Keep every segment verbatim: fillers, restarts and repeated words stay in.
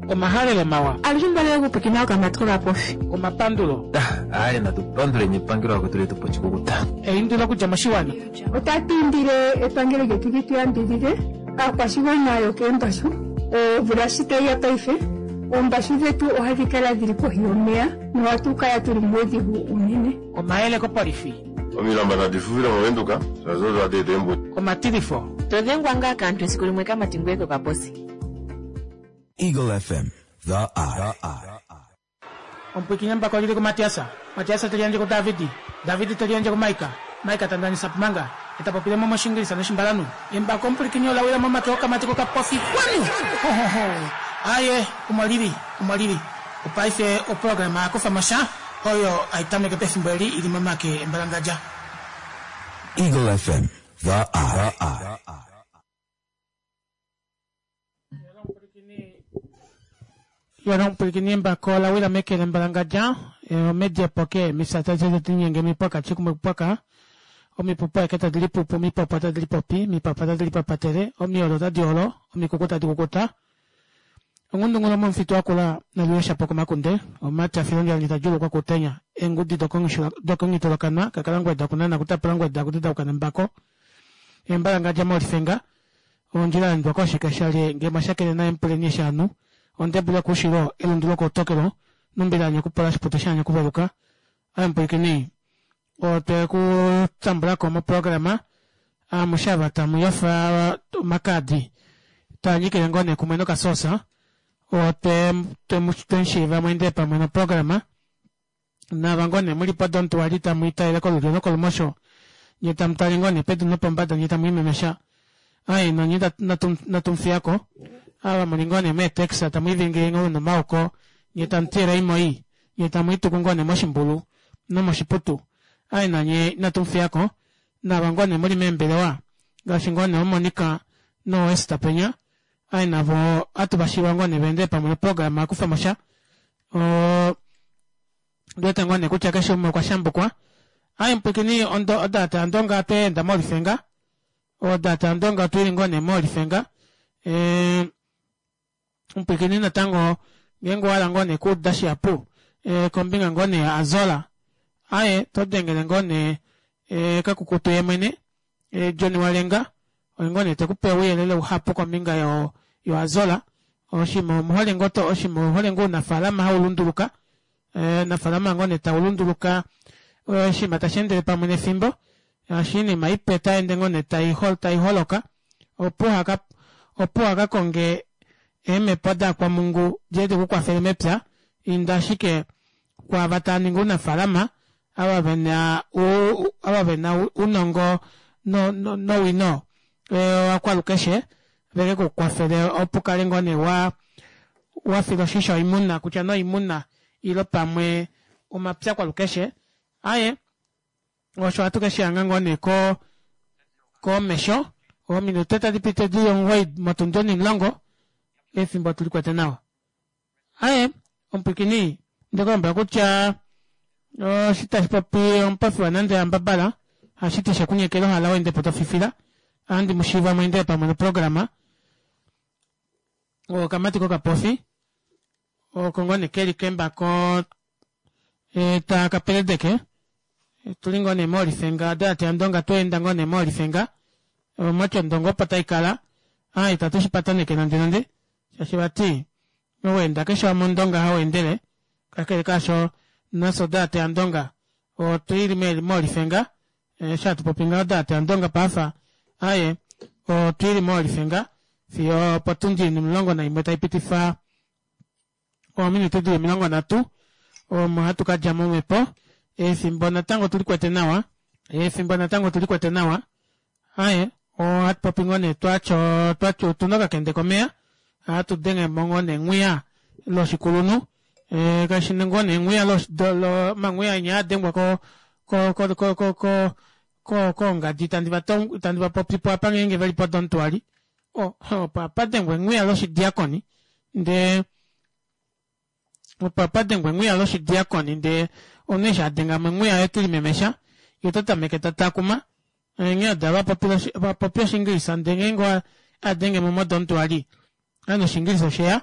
Omahalelo mawa. Alushe mbale okupwikina okamatsi kokapofi. Omapandulo. Aye natupanduleni epangelo lakwetu letu pochikukuta. Eindilo okudja moshiwana. Otatu indile epangelo lyetu li tu yambidhidhe aakwashigwana yokeembashu. Omvula shi tayi ya paife, oombashu dhetu ohadhi kala dhili kohi yomeya nohatu kala tuli muudhigu unene. Omayele kopolifi. Omilamba nadi fufile moVenduka shaashi odo hadi eta eembudi. Omatilifo. To dhengwa ngaa kaantu esiku limwe kamati ngoye kokaposi. Eagle F M, The Eye. Omupwikinye mbako lili kuMatiasa. Matiasa te liyandje kuDavidi. Davidi te liyandje kuMaika. Maika ta ndanisa Pumanga. E ta popile mo mOshingilisa nOshimbalanhu. Embako omupwilikini ola wila momake okamati kokapofi. Xwanu! Ho-ho-ho! Aaye, omo li li, omo li li. Opaife oprograma ya Kufa mo Sha oyo hai tameke pefimbo eli i li momake embalangadja. Eagle F M, The Eye. Yona omupwilikini embako ola wila meke lembalangadja, omedi epoke, mifya tadi linyenge mipwaka chikumwe kupwaka, omipupu aeke tadi lipupu, omipopo tadi lipopi, omipapa tadi lipapatele, omiolo tadi olo, omikuku tadi kukuta. Ongundungulo momufitu wakula naluyesha po komakunde, omumati a filondjalani ta djuulukwa kutenya, eengudi dokongitolokanwa, kakalangweda kunana kutapula ngweda kutedauka nembako, embalangadja molifenga, ondjila ya endwa koshikesha lye ngee mwashakene naye mupuleni eshi anu, ondebulu yokuushilo, elundu lokoutokelo, nombila ya nyakupola oshipute sha nyakuveluka. Aye mupwilikini, otwe ku tambula ko moprograma, amushe ava tamu yofa omakaadi, taa nyikile ngoo nee kumwe nokasosa, otwe twe mwende pamwe noprograma, nava ngoo nee muli podontuwali tamu italele kolulyo nokolumosho, nye tamu tale ngoo nee pedu nopombada nye tamu imemesha. Aye nonye natumufiyako, ava muli ngoo nee meetaxi tamu ivingile ngoo nomauko, nye tamu tiyele imoi, nye tamu ituku ngoo nee moshimbulu nomoshiputu. Aye nanye inatumufiyako, nava ngoo nee muli meembelewa, ngaashi ngoo nee oMonica nooEsther penya, aye navo ohatu vashiiva ngoo nee vaendele pamwe noprograma yakufamo sha. Ondiwete ngoo nee kutya keshe umwe okwa shambukwa. Aye mupwilikini odata yandonga otweenda molifenga, odata yandonga otwili ngoo nee molifenga. Omupwilikini natango ngeenge owahala ngoo nee kuuda shihapu kombinga ngoo nee ya Azola, aye todengele ngoo nee kakukutu yemwene John Walenga, oye ngoo nee tekupe ouyelele uhapu kombinga yo Azola. Oshima omuhole ngoo to oshima omuhole ngoo ounafaalama haulunduluka, ounafaalama ngoo nee taulunduluka, oshinima tasheendele pamwe nefimbo, oshinima ipe taende ngoo nee taiholoka, opo uhakakonge eemhepo dakwamungu diye dikukwafele mepya, inda ashike kwaava taaningi ounafaalama, ava vena ava vena ounongo nowino wakwalukeshe veke kukwafele opo ukale ngoo nee wafila oshisho oimuna kutya nee oimuna ile pamwe omapya kwalukeshe. Aaye osho ohatu keshihanga ngoo nee ko komesho ominute tadi piti dili omugoyi motundi onimulongo efimbo tulikwete nawa. Aaye omupwilikini ndekulombwela kutya oshi tashi popi omupofi wanande yambabala hashiti shekunyekela ohala weendepo tofifila ohandi mushiiva mweendele pamwe noprograma okamati kokapofi oko ngoo nee keli kembako takapeledeke tuli ngoo nee molifenga odalate yandonga tweenda ngoo nee molifenga omwati ondongo opo taikala aa itatu shipataneke nande nande shaashi vati oweenda keshe wamwe ondonga haweendele kakele kaasho nafye odalate yandonga otwili molifenga eshi hatu popi ngaho odalate yandonga paife aaye otwili molifenga fiyo opotundi omulongo naimwe taipitifa ominute dili omilongo nhatu omo hatu kadja momhepo. Efimbo natango tulikwete nawa, efimbo natango tulikwete nawa. Aaye ohatu popi ngoo nee twatya twatya otuna okakende komeya ohatu dengemo ngoo nee engwiya loshikulunhu kashi ngoo nee engwiya omangwiya enya haadengwa ko ko ko ko koongadi itandi vapopipo apa ngeenge veli podontuali opo hapadengwa engwiya loshidiakoni ndee opo hapadengwa engwiya loshidiakoni ndee omunhu eshi adengamo engwiya ye telimemesha yee otatameke tatakuma onghee odo vapopi oshingilisa ndee ngeenge adengemo modontuali ovanhu oshingilisa osheya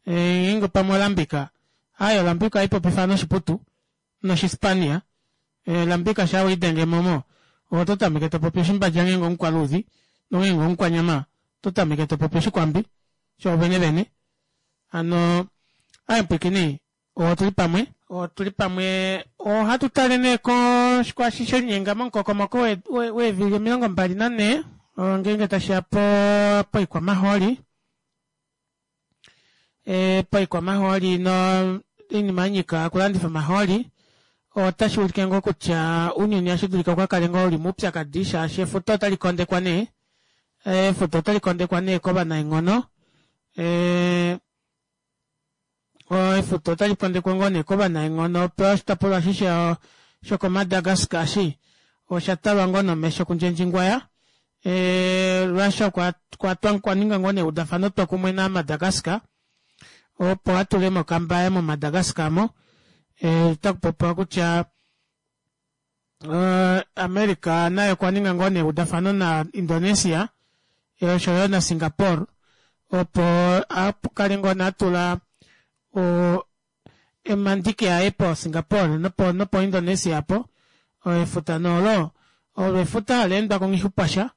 Ngeenge pamwe olambika aaye olambika ohaipopifa noshiputu noshispania olambika shaa welidengemo omo ove ototameke topopi oshimbadja ngeenge omukwaluudi nongeenge omukwanyama ototameke topopi oshikwambi shoovene vene hano aaye mupwiikini otuli pamwe otuli pamwe ohatu tale nee kwaashi shelinyenga momukokomoko weevili omilongo mbali nanhee ngeenge tashiya poikwamahooli poikwamahooli noinima yanyika okulandifa omahooli otashuulike ngoo kutya ounyuni ohashidulika ukakale ngoo uli moupyakadi shaashi efuta otali kondekwa nee efuta otali kondekwa nee kovanaenghono ee efuta otali kondekwa ngoo nee kovanaenghono oshitopolwa eshi shoko madagascar eshi oshatalwa ngoo nomesho kundjendjingwaya ee Russia okwaninga ngoo nee eudafano twokumwe na Madagascar opo atulemo okamba yaye mo Madagascar aamo otakupopiwa kutya America naye okwaninga ngoo nee eudafano na Indonesia oshoyo na Singapore opo akale ngoo nee atula omandiki aye po Singapore nopo Indonesia aapo efuta nee olo olo efuta haleendwako nghixupasha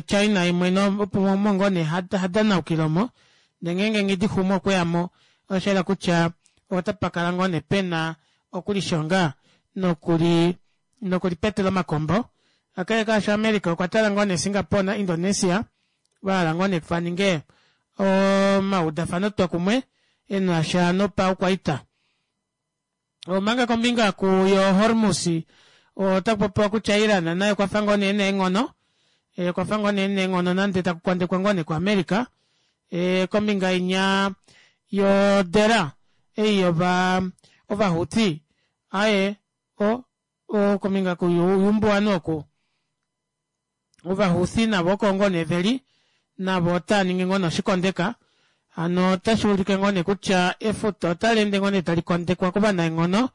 China yeemwene omo ngoo nee hadanaukile omo ndee ngenge nghidixume okweyamo oshayela kutya otapakala ngoo nee pena okulishonga nokuli nokulipetela omakombo kakele kaasho America okwa tala ngoo nee Singapore na Indonesia vahala ngoo nee vaninge omaudafano twokumwe enasha nopaukwaita omanga kombinga yo Hormus otakupopiwa kutya Iran naye okwafa ngoo nee ena eenghono okwafa ngoo nee ena eenghono nande takukondekwa ngoo nee ku America kombinga inya yo Dera ei yova Houthi aaye kombinga youmbuwanhu oku ova Houthi navo oko ngoo nee veli navo otaaningi ngoo nee oshikondeka hano otashuulike ngoo nee kutya efuta otaleende ngoo nee talikondekwa kovanaenghono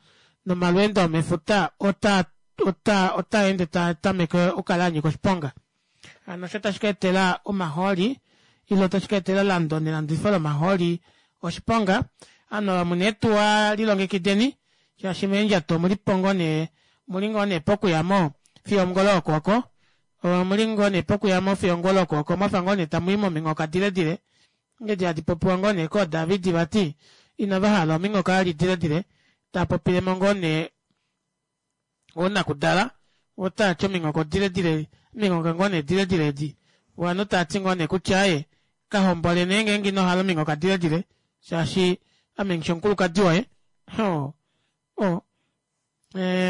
nomalweendo omefuta ota ota otaende taatameke okukala anyika oshiponga hano osho tashi kaetela omahooli ile otashi kaetela elando nelandifo lomahooli oshiponga ovanhu ava muna eetuwa lilongekideni shaashi meendjato omulipo ngoo nee omuli ngoo nee pokuyamo fiyo ongula okooko omuli ngoo nee pokuyamo fiyo ongula okooko mwafa ngoo nee tamuyi mominghoka diledile edi hadi popiwa ngoo nee koo David vati inavahala ominghoka vali diledile taapopilemo ngoo nee oonakudala otaati ominghoka odiledile ominghoka ngoo nee diledile edi ovanhu taati ngoo nee kutya aaye kahombole nee ngeenge inohala ominghoka diledile shaashi ame nghishi omukulukadi woye oo oo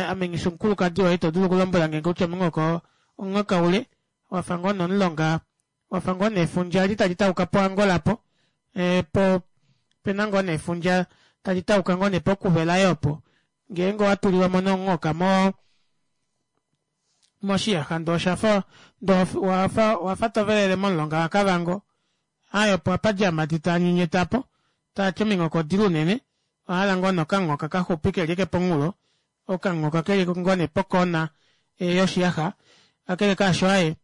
ame nghishi omukulukadi woye ito dulu okulombwelange kutya omunghoka omunghoka ule wafa ngoo nee omulonga wafa ngoo nee efundja eli tali tauka po Angola aapo po opena ngoo nee efundja tali tauka ngoo nee pokuvela opo ngeenge owatulilwamo nee omunghoka moo moshiyaxa ndee oshafa ndee owafa tovelele momulonga wa kavango aaye opo hapadi aamati taanyenyeta aapo taati ominghoka odile unene ovahala ngoo nee okanghoka kaxupi keli ashike pomunghulo okanghoka keli ngoo nee pokoona yoshiyaxa kakele kaasho aaye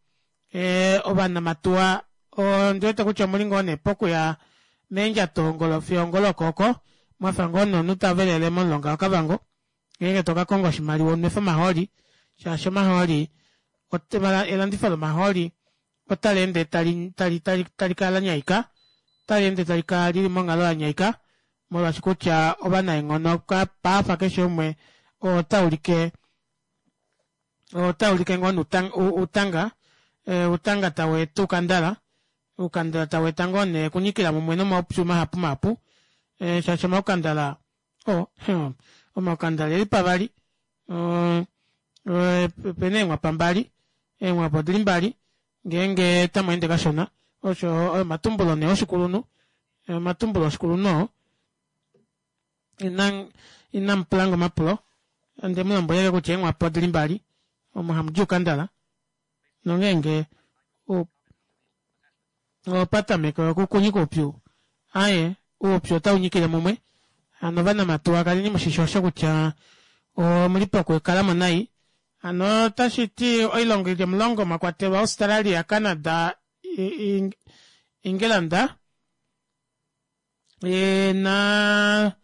ovanamatuwa ondiwete kutya omuli ngoo nee pokuya meendjato fiyo ongolo okooko mwafa ngoo nee omunhu tavelele momulonga wa kavango ngeenge tokakonga oshimaliwa unwefe omahooli shaashi omahooli elandifo lomahooli otaleende tali tali talikala lanyaika otaleende talikala lili monghalo yanyaika molwaashi kutya ovanaenghono paife keshe umwe otaulike otaulike ngoo nee outanga outanga taweeta oukandala oukandala taweeta ngoo nee okunyikila mumwe nomaupyu mahapu mahapu shaashi omaukandala oo omaukandala oeli pavali opena eenghwapa mbali eenghwapa odili mbali ngeenge tamweende kashona osho oyo omatumbulo nee oshikulunhu omatumbulo oshikulunhu oo inamupulange omapulo ondemulombwela ashike kutya eenghwapa odili mbali omo hamudi oukandala nongeenge opatameke okukunyika oupyu aaye oupyu otaunyikile mumwe hano ovanamatuwa kaleni mushishi osho kutya omuli pokukalamo nai hano otashiti oilongo ili omulongo mwakwatelwa Australia, Canada, England E, na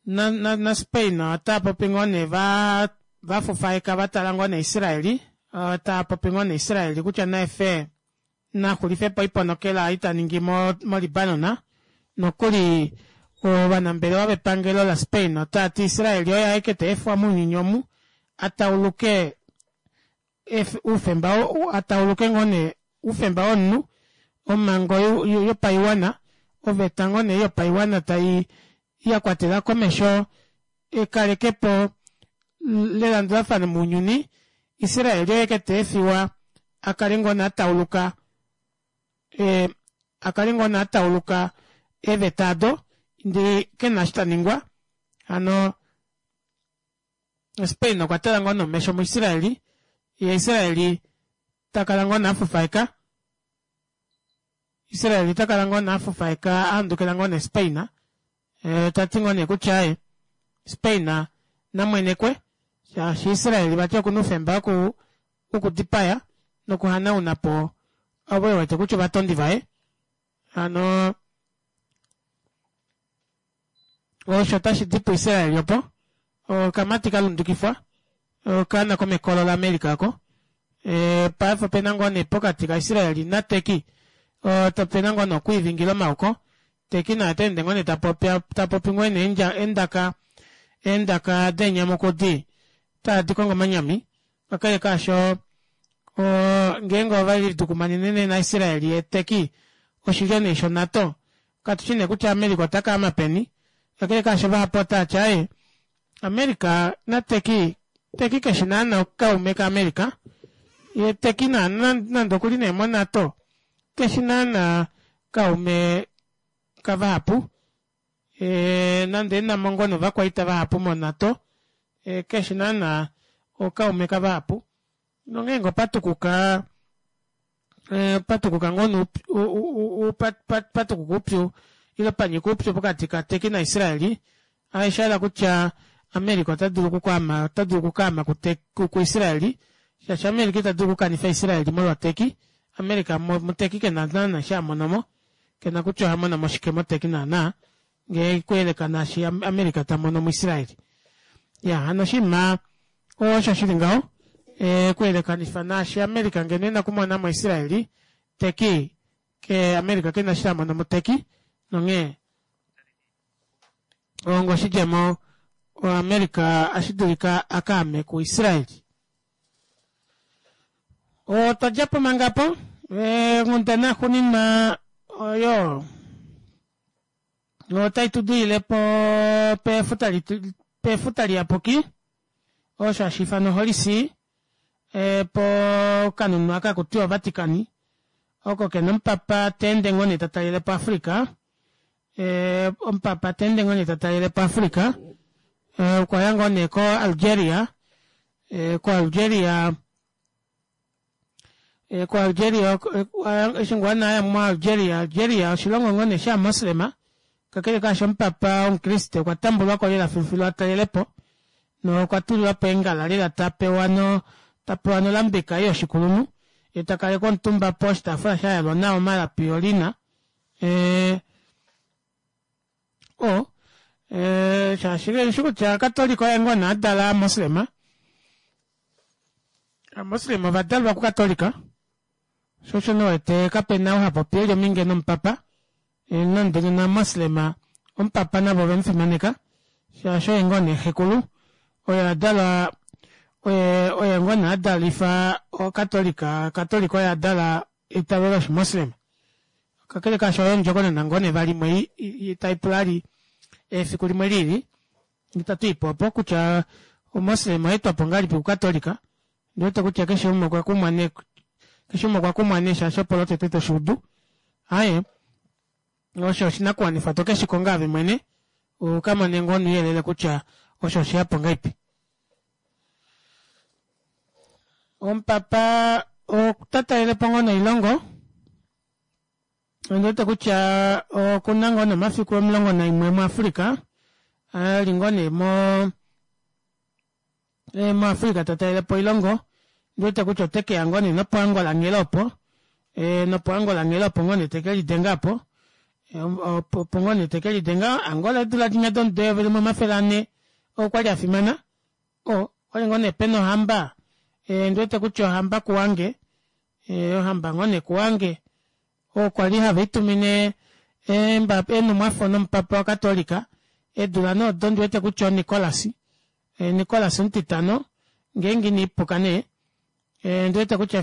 na na, na Spain otava popi ngoo nee va vafufaeka vatala ngoo nee Israeli, otava popi ngoo nee Israeli kutya naefe naxulifepo oiponokela ei taningi mo, mo Libanon, nokuli ovanambelewa vepangelo la Spain otavati Israeli oye aeke taefwa mounyuni omu atauluke oufemba atauluke ngoo nee oufemba womunhu omango yopaiwana oveta ngoo nee yopaiwana tai yakwatela komesho ekalekepo lelandulafano mounyuni. Israel oye aeke taefiwa akale ngoo nee atauluka ee akale ngoo nee atauluka eeveta aado ndee kena eshi taningwa. Hano Spain okwa tala ngoo nee omesho mu Israeli yee Israeli takala ngoo nee afufaeka Israeli takala ngoo nee afufaeka ahandukila ngoo nee Spain, ee tati ngoo nee kutya aaye Spain namwenekwe shaashi Israel vati okuna oufemba woku wokudipaya nokuhanaunapo ovo ewete kutya ovatondi vaye. Hano osho tashi di puIsrael opo okamati kalundukifwa okaana komekolo la America oko. E, paife opena ngoo nee pokati kaIsrael naTurkey opena ngoo nee okwiivingila omaoko. Turkey naye otaende ngoo nee tapopi tapopi ngoo nee eendaka eendaka deenyamukudi tadi kongo omanyami. Kakele kaasho ngeenge ovelidukumanene nee na Israel yee Turkey oshilyo nee sho NATO, katushi nee kutya America otakaama peni. Kakele kaasho vahapu otavati aaye America na Turkey, Turkey keshi naana kaume ka America, yee Turkey nande okuli nee mo NATO keshi naana kaume kavahapu, ee nande enamo ngoo nee ovakwaita vahapu mo NATO, keshi naana okaume kavahapu. Nongeenge opatukuka opatukuka ngoo nee patukuka oupyu ile panyika oupyu pokati ka Turkey na Israel, oshahala kutya America ota dulu okukaama ota dulu okukaama ku Israel, shaashi America ita dulu okukanifa Israel molwa Turkey. America mu Turkey kena naana eshi hamonomo, kena kutya ohamonomo shike mo Turkey naana ngee okuyeleka naashi America tamono mu Israel. Ya hano oshinima osho shili ngaho, ee okuyelekanifa naashi America ngeno ena okumona mo Israel, Turkey ke America kena eshi tamono mu Turkey, nonghee onga oshidjemo America ashidulika akaame ku Israel. Otwa djapo manga apo, onghundana xuuninwa oyo otai tudilile po pefuta pefuta liyapuki osho hashi ifanwa Holy See, pokanhunhu aka hakutiwa Vatican, oko kena omupapa taende ngoo nee tatalelepo Africa, ee omupapa taende ngoo nee tatalelepo Africa, okwaya ngoo nee ko Algeria, ko Algeria ko Algeria eshi ngoo nee aya mo Algeria, Algeria oshilongo ngoo nee sha Moslema, kakele kaasho omupapa omukriste okwa tambulwako lela filufilu atalelepo nokwa tulilwapo eengala lela tapewa no tapewa nolambeka ei yoshikulunhu yee takalekwa omutumba poshitaafula shayalwa nawa omalapi olina ee o ee shaashi kaishi kutya Katolika oye ngoo nee adala Amoslema, Amoslema ovadalwa kuKatolika, sho osho nee uwete kapena ou hapopi eli ominge nomupapa, nande nena Amoslema omupapa navo ovemufimaneka shaashi oye ngoo nee xekulu, oye adala oye oye ngoo nee adalifa okatolika, Katolika oye adala eitavelo loshimoslema. Kakele kaasho oyo ondjokonona ngoo nee vali imwe taipula vali efiku limwe lili itatu ipo opo kutya omoslema oyaetwapo ngahelipi kukatolika. Ondiwete kutya keshe umwe okwa kumwa nee keshe umwe okwa kumwa nee shaashi opo lotete toshuudu. Aaye osho oshinakuwanifwa tokeshikonga ove mwene ukamone ngoo nouyelele kutya osho osheyapo ngahelipi. Omupapa ota talelepo ngoo noilongo, ondiwete kutya okuna ngoo nomafiku omulongo naimwe muAfrica, eli ngoo nee mo muAfrica ta talelepo oilongo, ondiwete kutya otekeya ngoo nee nopo Angola nghela opo, nopo Angola nghela opo ngoo nee tekelidenga aapo, Opo ngoo nee tekelidenga Angola eedula dinya domudo eyovi limwe omafele ane okwali afimana oo okwali ngoo nee pena ohamba ondiwete kutya ohamba kuwange ohamba ngoo nee kuwange oo kwali haviitumine eenhumwafo nomupapa wa catholic eedula nee odo ondiwete kutya o nicolas Nicolas omutitano ngeenge ina ndipuka nee ondiwete kutya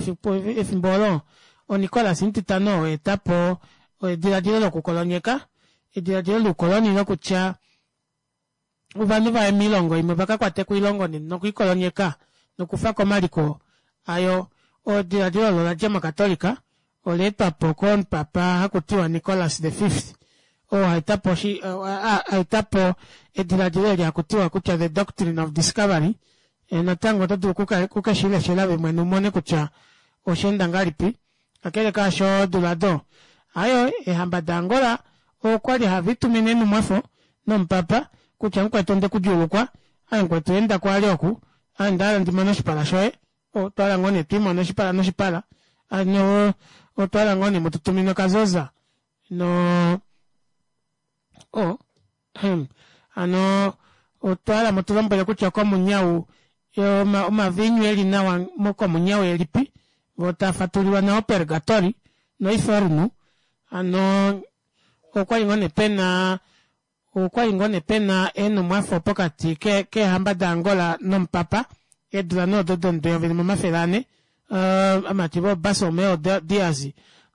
efimbo oolo o nicolas omutitano oo aetapo edilaadilo lokukolonyeka edilaadilo loukoloni lokutya ovanhu vaye moilongo imwe vakakwateko oilongo nokwiikolonyeka nokufako omaliko ayo edilaadilo olo oladja mo catholic olaetwapo komupapa hakutiwa Nicolas the fifth oo aetapo aetapo edilaadilo eli hakutiwa kutya the doctrine of discovery natango oto dulu okukeshileshela ove mwene umone kutya oshaenda ngahelipi kakele kaasho eedula aado aaye eehamba da angola okwali haviitumine eenhumwafo nomupapa kutya mukwetu ondekudjuulukwa aaye mukwetu endako vali oku ame ondahala ndimone oshipala shoye otwahala ngoo nee twiimone oshipala noshipala hano otwahala ngoo nee mututumine okazoza noo oh hano otwahala mutulombwele kutya komunyau omaviinyu eli nawa komunyau elipi voo taafatululwa nawa opergatori noifornu hano okwali ngoo nee pena okwali ngoo nee pena eenhumwafo pokati keehamba da angola nomupapa eedula nee odo domudo eyovi limwe omafele anhe ovamati voo barcelomeu dias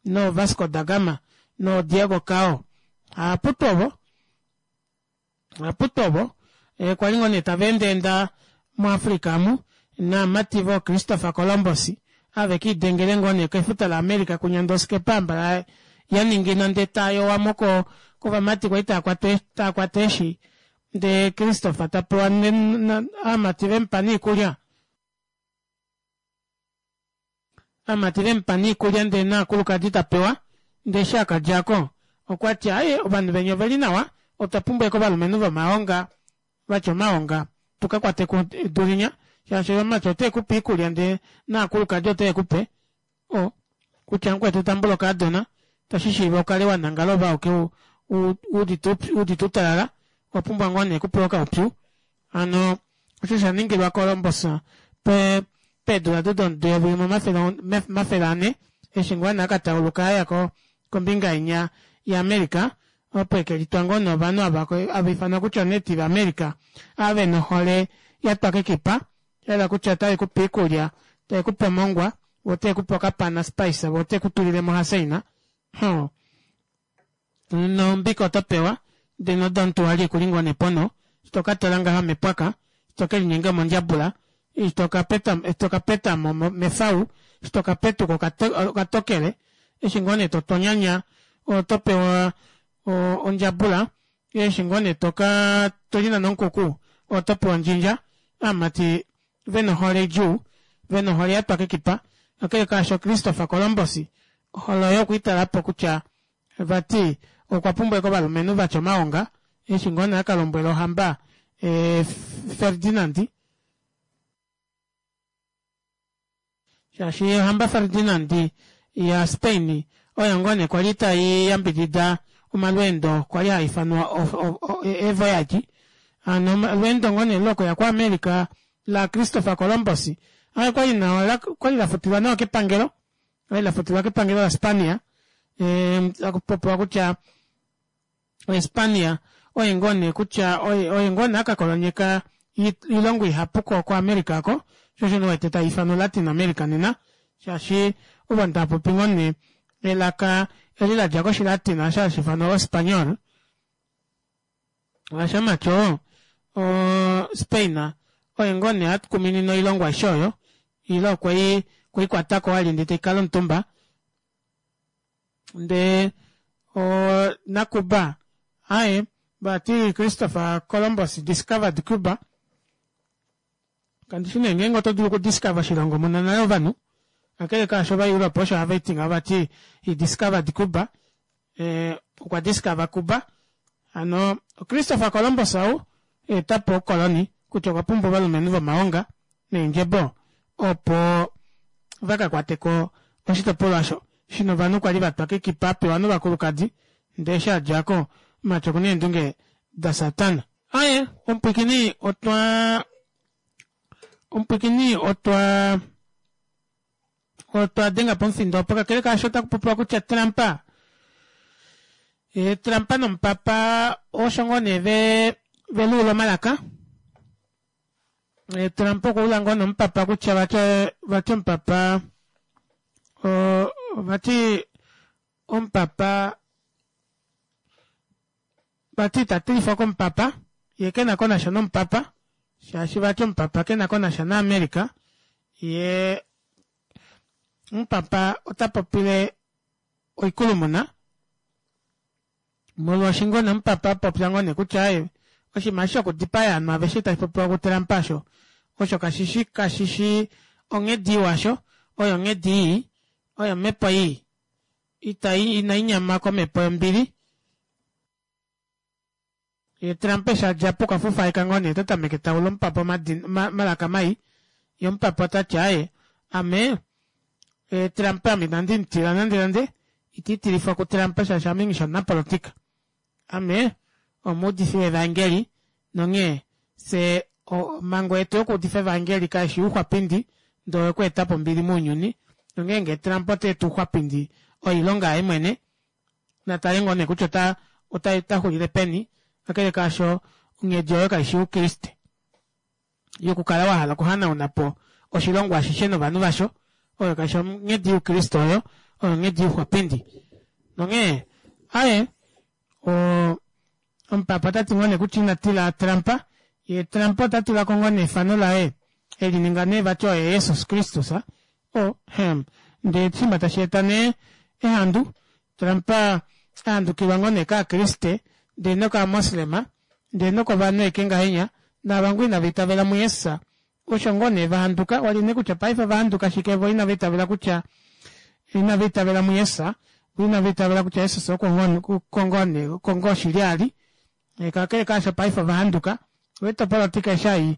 noo vasco da gama noo diego cao ovaputu ovo ovaputu ovo kwali ngoo nee taveendaenda mu africa amu naamati voo christopher columbus ava vekiidengele ngoo nee kefuta la america kunya ndee oskepa hambala yaningina ndee taayowamo kovamati kwali taakwata eeshi ndee christopher tapewa ovamati vemupa noikulya ovamati vemupa noikulya ndee novakulukadi tapewa ndee eshi akadjako okwati aaye ovanhu venya oveli nawa otwa pumbwa ashike ovalumenhu vomaonga vatya omaonga tukakwateko edu linya shaashi ovamati otavekupe oikulya ndee novakulukadi otavekupe oo kutya mukwetu tambula okaadona itashishiiva ukale wanangala oove auke wuudite outalala owapumbwa ngoo nee okupewa okaupyu hano osho shaningilwa columbus peedula odo domudo eyovi limwe omafele anhe eshi ngoo nee akatauluka aya kombinga inya ya america opo ekelitwa ngoo nee ovanhu ava hava ifanwa kutya o native america ava vena ohole yatwa kekipa shahala kutya otavekupe oikulya tavekupe omongwa voo otavekupe okapana spice voo otavekutulilemo ohaseina hoo nombika otopewa ndee nodomutu wali okuli ngoo nee ponho eshi tokatoola ngaha omepwaka eshi tokelinyenga omondjabula eshi tokapetama omefau eshi tokapetuka okatokele eshi ngoo nee totonyanya otopewa ondjabula eshi ngoo nee tokaa tolinane omukuku otopewa ondjindja ovamati vena ohole idjuu vena ohole yatwa kekipa kakele kaasho christopher columbus ohole oyo okweitalapo kutya vati okwa pumbwa ashike ovalumenhu vatya omaonga eshi ngoo nee akalombwela ohamba ferdinand shaashi ohamba ferdinand ya spain oyo ngoo nee kwali taiyambidida omalweendo kwali haifanwa eevoyage hano olweendo ngoo nee lokuya ko america la christopher columbus okwali nawa okwali lafutilwa nawa kepangelo okwali lafutilwa kepangelo la spania takupopiwa kutya o spania oye ngoo nee kutya oye ngoo nee akakolonyeka oilongo ihapu ko america aako shoo osho nee uwete taifanwa latin america nena shaashi ovanhu taapopi ngoo nee elaka eli ladja koshilatina osho hashiifanwa ospaniol shaashi omumati oo spain oye ngoo nee akuminina oilongo aishe oyo ile okweikwatako vali ndee taikala omutumba ndee nacuba aaye vati christopher columbus discovered cuba kandishi nee ngeenge oto dulu okudiscover oshilongo muna nale ovanhu kakele kaasho ova europe osho havati ngaho vati he discovered cuba okwa discover cuba hano christopher columbus ou aetapo oukoloni kutya okwa pumbwa ovalumenhu vomaonga neendjebo opo vakakwateko oshitopolwa osho shina ovanhu kwali vatwa kekipa apewa novakulukadi Ndee eshi adjako omumati okuna eendunge dasatana. Aaye omupwiikini otwa omupwiikini otwa otwa denga pomufindo opo kakele kaasho otakupopiwa kutya Trump e, Trump nomupapa osho ngoo nee ve veluula omalaka. E, Trump okwaula ngoo nomupapa kutya vati vati omupapa o, vati omupapa vati itatilifwa komupapa yee kena konasha nomupapa shaashi vati omupapa kena konasha na America yee omupapa ota popile oikulumuna molwaashi ngoo nee omupapa apopya ngoo nee kutya aaye oshinima eshi shokudipaya ovanhu aveshe tashi popiwa kuTrump osho osho kashishi kashishi onghedi iwa osho oyo onghedi ii oyo omhepo ii itai inainyama komhepo yombili. Ye Trump eshi adjapo okwa fufaika ngoo nee otatameke taula omupapa omalaka mai yee omupapa otati aaye ame e, Trump ame inandi mutila nande nande iti tilifwa kuTrump shaashi ame nghishi omunapolitika ame omuudifi wevaengeli nonghee fye omhango yetu yokuudifa evaengeli kaishi youxwapindi ndee oyokweetapo ombili mounyuni nonghee ngee Trump otaeta ouxwapindi oilonga yaye mwene natale ngoo nee kutya ota ota otaxulile peni kakele kaasho onghedi oyo kaishi youkriste yokukala wahala okuhanaunapo oshilongo ashishe novanhu vasho oyo kaishi onghedi youkriste oyo oyo onghedi youxwapindi nonghee aaye o omupapa otati ngoo nee kutya ina tila Trump yee Trump ota tulako ngoo nee efano laye elininga nee vati oye Jesus Kristus o hem ndee oshinima tashi eta nee ehandu Trump ahandukilwa ngoo nee kaakriste ndee nokaa-moslema ndee nokovanhu aike ngahenya naava ngoo inava itavela muJesus osho ngoo nee vahanduka wali nee kutya paife ovahanduka shike voo inava itavela kutya inava itavela muJesus voo inava itavela kutya Jesus oko ngoo shili ali kakele kaasho paife ovahanduka wete opolitika eshi hai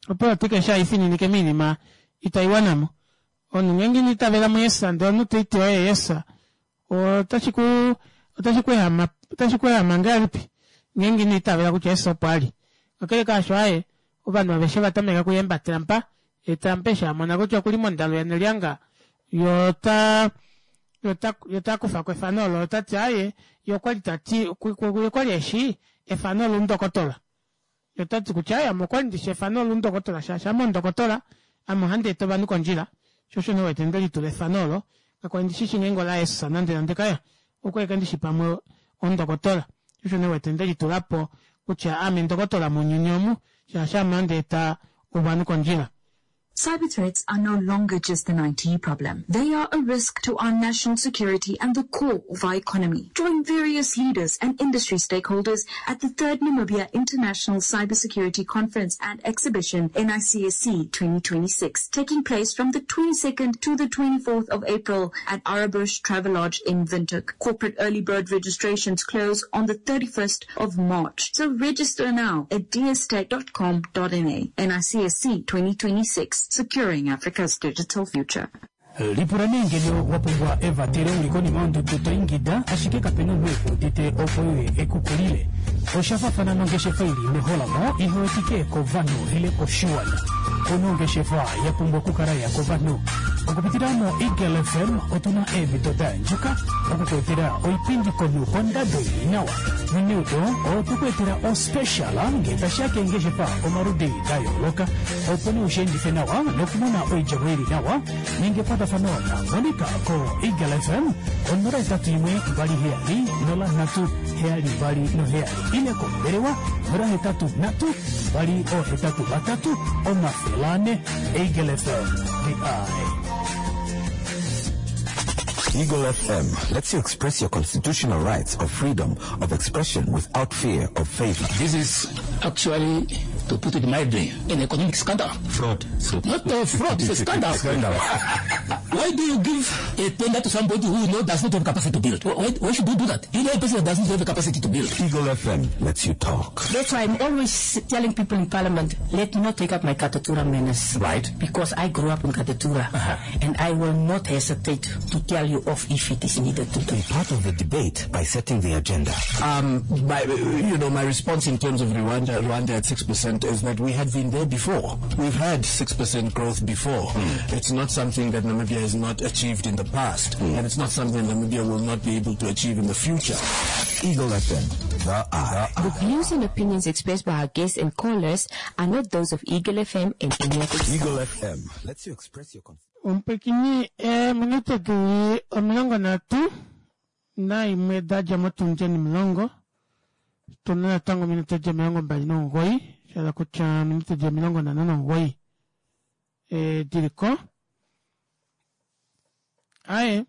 opolitika eshi haifininike moinima itaiwanamo omunhu ngeenge ina itavela muJesus ndee omunhu toiti oye Jesus otashi ku otashi ku ehama otashi ku ehama ngahelipi ngeenge ino itavela kutya Jesus opo ali kakele kaasho aaye ovanhu aveshe vatameka okuyemba Trump ye Trump eshi amona kutya okuli mondalu yanelyanga ye ota yota kufako efano olo otati aaye ye okwali tati ye okwali eshi efano lomundokotola ye otati kutya aaye ame okwali ndishi efano lomundokotola shaashi ame omundokotola ame ohandi eta ovanhu kondjila sho osho nee uwete ndelitula efano olo kakwali ndishishi ngeenge ola Jesus nande nande kaya okwali ashike ndishi pamwe omundokotola sho osho nee uwete ndelitulapo kutya ame ndokotola mounyuni omu shaashi ame ohandi eta ovanhu kondjila. Cyber threats are no longer just an I T problem. They are a risk to our national security and the core of our economy. Join various leaders and industry stakeholders at the third Namibia International Cybersecurity Conference and Exhibition, N I C S C twenty twenty-six, taking place from the twenty-second to the twenty-fourth of April at Arabush Travelodge in Windhoek. Corporate early bird registrations close on the thirty-first of March. So register now at dstech dot com dot N A. N I C S C twenty twenty-six, securing Africa's digital future. Lipula nee ngeno wa pumbwa evatele uli konima yondudu to ingida ashike kapena omunhu ekuudite opo uye ekukulile. Osha fafana nongeshefa ili meholamo ihewetike kovanhu ile koshiwana. Kuna ongeshefa ya pumbwa okukala ya kovanhu. Okupitila mo Eagle F M otuna eemhito da andjuka okukuetela oipindi komunhu kondado ili nawa. Noneudo otukuetela ospecial ngee tashiya keengeshefa omaludi da yooloka opo nee ushiendife nawa nokumona oidjemo ili nawa ninga ekwatafano na Monica ko Eagle F M onola hetatu imwe mbali heyali nola nhatu heyali mbali noheyali ile kombelewa nola hetatu nhatu mbali ohetatu vatatu omafele ane. Eagle F M, the eye. Eagle F M lets you express your constitutional rights of freedom of expression without fear of favor. This is actually, to put it mildly, an economic scandal. Fraud. Not a fraud, it's a scandal. Scandal. Why do you give a tender to somebody who you know does not have capacity to build? Why, why should you do that? You know a person that doesn't have the capacity to build. Eagle F M lets you talk. That's why I'm always telling people in Parliament, let me not take up my Katutura manners. Right. Because I grew up in Katutura. And I will not hesitate to tell you off if it is needed to do. Be part of the debate by setting the agenda. Um, my, you know, my response in terms of Rwanda, Rwanda at six percent is that we had been there before. We've had six percent growth before. It's not something that Namibia has not achieved in the past, and it's not something Namibia will not be able to achieve in the future. Eagle F M, the Eye. The views and opinions expressed by our guests and callers are not those of Eagle F M and any of its Eagle F M lets you express your Omupekini eminute dili omilongo nhatu naimwe da dja motundi onimulongo tuna natango ominute di omilongo mbali nomugoyi shala kutya ominute di omilongo nhano nomugoyi e, diliko aye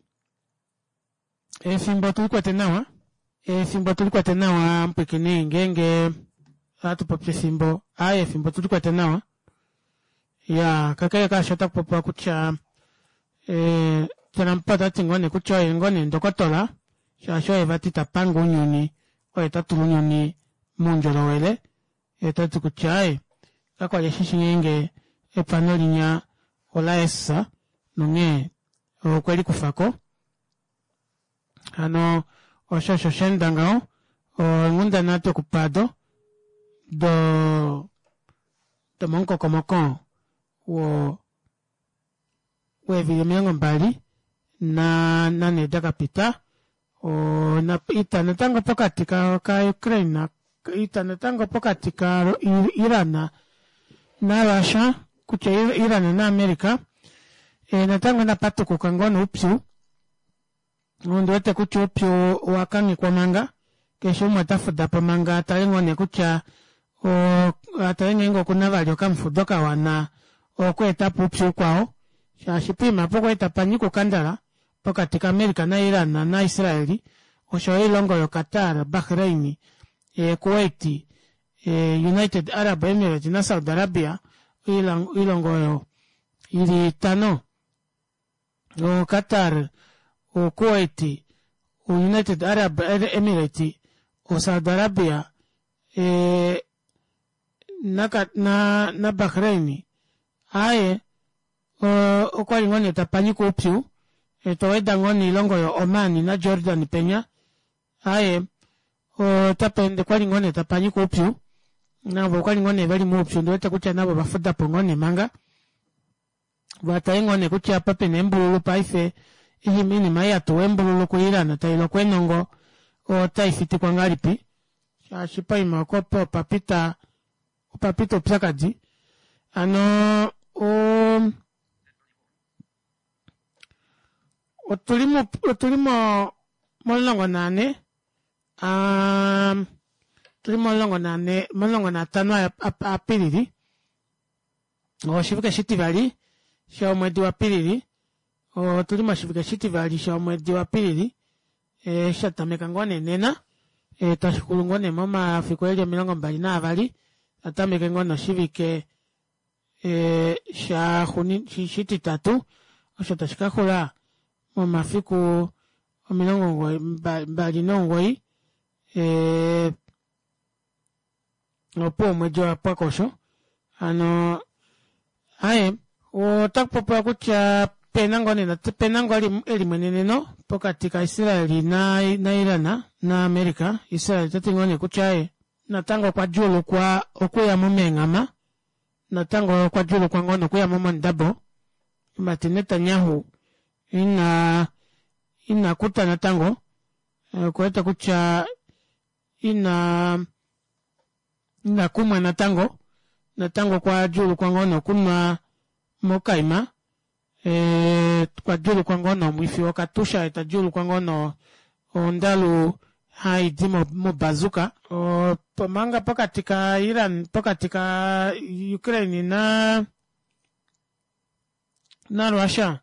efimbo tulikwete nawa efimbo tulikwete nawa mpwikini ngeenge ohatu popi efimbo aye efimbo tulikwete nawa ya kakele kaasho otaku popiwa kutya eh, Trump otati ngoo nee kutya oye ngoo nee ndokotola shaashi oye vati tapanga ounyuni oye tatula ounyuni moundjolowele ye tati kutya aye kakwali eshi ngeenge epano linya ola esa nonghee okwe likufako hano osho osho shaenda ngaho onghundana dokupado do domomukokomoko wo weevili omilongo mbali na nane dakapita ona ita natango pokati ka, ka Ukraine na ita natango pokati ka Iran na Russia kutya Iran na America e, natango napatukuka ngoo noupyu ondiwete kutya oupyu owakanghekwa manga keshe umwe ota fuda po manga atale ngoo nee kutya atale ngeenge okuna vali okamufudo kawana okweetapo upyu ukwao shaashi poima pokwali tapanyika okandala pokati ka America na Iran na Israeli osho oilongo yo Qatar, Bahrain, e, Kuwait, e, United Arab Emirates na Saudi Arabia oilongo oyo ili itano o Qatar, o Kuwait, o United Arab Emirates, o Saudi Arabia e, na, na, na Bahrain aye okwali ngoo nee tapanyika oupyu toweda ngoo noilongo yo Oman na Jordan penya aye otapeende kwali ngoo nee tapanyika oupyu navo okwali ngoo nee veli moupyu ndiwete kutya navo vafudapo ngoo nee manga vatale ngoo nee kutya apa pena embululu paife iinima ei yatuwa embululu ku Iran tailoko enongo otaifitikwa ngahelipi shaashi poima oko opo opapita opapita oupyakadi hano o otuli mo otuli mo momulongo naane um, tuli momulongo naane momulongo naatano Apilili oshivike shitivali shomwedi waApilili otuli moshivike shitivali shomwedi waApilili e, sha tameka ngoo nee nena e, tashixulu ngoo nee momafiku eli omilongo mbali naavali tatameke ngoo noshivike e, shititatu osho tashi kaxula momafiku omilongo mbali nomugoyi e, opo omwedi wapwako osho hano aye otakupopiwa kutya pena ngoo nee pena ngoo elimweneneno pokati ka Israeli na, na Iran na America. Israel tati ngoo nee kutya aye natango okwa djuulukwa okuyamo meenghama natango okwa djuulukwa ngoo nokuyamo mondabo mati Netanyahu ina ina kuta natango okuwete kutya ina ina kumwa natango natango okwa djuulukwa ngoo nokunwa mokaima e, kwa djuulukwa ngoo nomwifi wokatusha eta djuulukwa ngoo no ondalu haidi mobazuka omanga pokati ka Iran pokati ka Ukraine na na Russia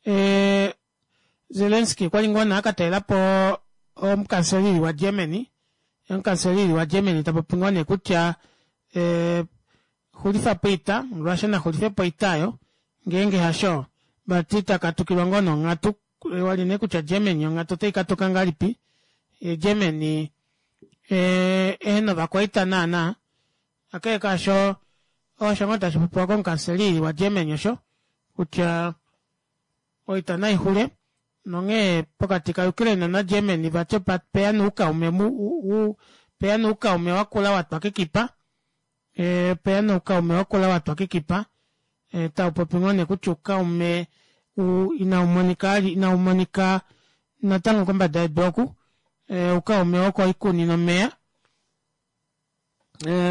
e, Zelensky kwali ngoo nee akatalelapo omukanselili wa Germany omukanselili wa Germany tapopi ngoo nee kutya e, xulifapo oita Russia naxulifepo oita ayo ngeenge hasho Vati takatukilwa ngoo nonghatu wali nee kutya Germany onghatu otaikatuka ngahelipi. Germany ehena ovakwaita naana kakele kaasho osho ngoo tashi popiwa komukanseli wa Germany osho kutya oita naixule nonghee pokati ka Ukraine na Germany vati opeya noukaume peya noukaume wakula watwa kekipa peya noukaume wakula watwa kekipa taupopi ngoo nee kutya oukaume inaumonika inaumonika natango kombada yedu oku oukaume wokoikuni nomeya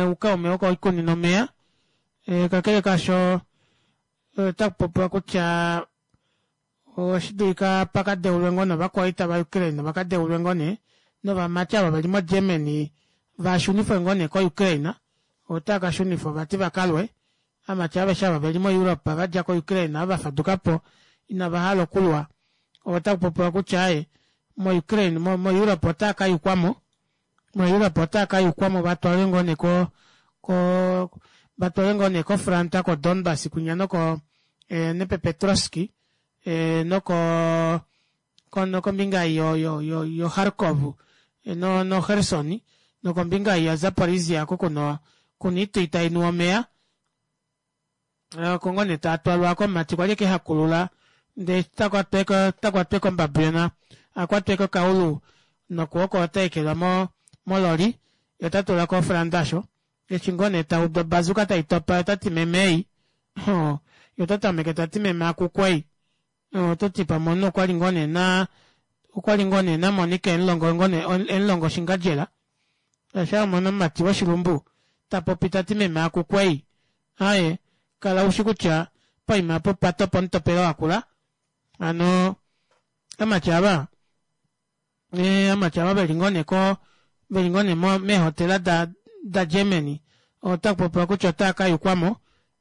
oukaume wokoikuni nomeya kakele kaasho otakupopiwa kutya oshidulika pakadeulwe ngoo novakwaita va Ukraine vakadeulwe ngoo nee novamati ava veli mo Germany vashunifwe ngoo nee ko Ukraine otaakashunifwa vati vakalwe amati aveshe ava veli mo Europe vadja ko Ukraine ava vafadukapo inavahala okulwa otakupopiwa kutya aaye mo Ukraine mo Europe otaakayukwamo mo Europe otaakayukwamo vatwalwe ngoo nee ko ko vatwalwe ngoo nee ko front ko Donbas kwinya noko Dnepropetrovsk noko nokombinga yo yo yo Kharkov no no Kherson nokombinga ya Zaporizhia oko kuna kuna oitwi tainu omeya oko ngoo nee taatwalwa komumati kwali ekehakulula ndee takwatwa kombabjona akwatwe kokaulu nokwooko otaekelwa mo mololi yee otatulwa ko front aasho eshi ngoo nee taudu obazuka taitopa yee otati meme ei yee otatameke tati meme akukwei ototi pamwe omunhu okwali ngoo nee naa okwali ngoo nee namonika emulongo emulongo oshingadjela shaashi wamona omumati woshilumbu tapopi tati meme akukwei aaye kala ushi kutya poima aapo opwatopa omutopelo wakula hano amati aava amati aava veli ngoo nee ko veli ngoo nee meehotela da da Germany otakupopiwa kutya otaakayukwamo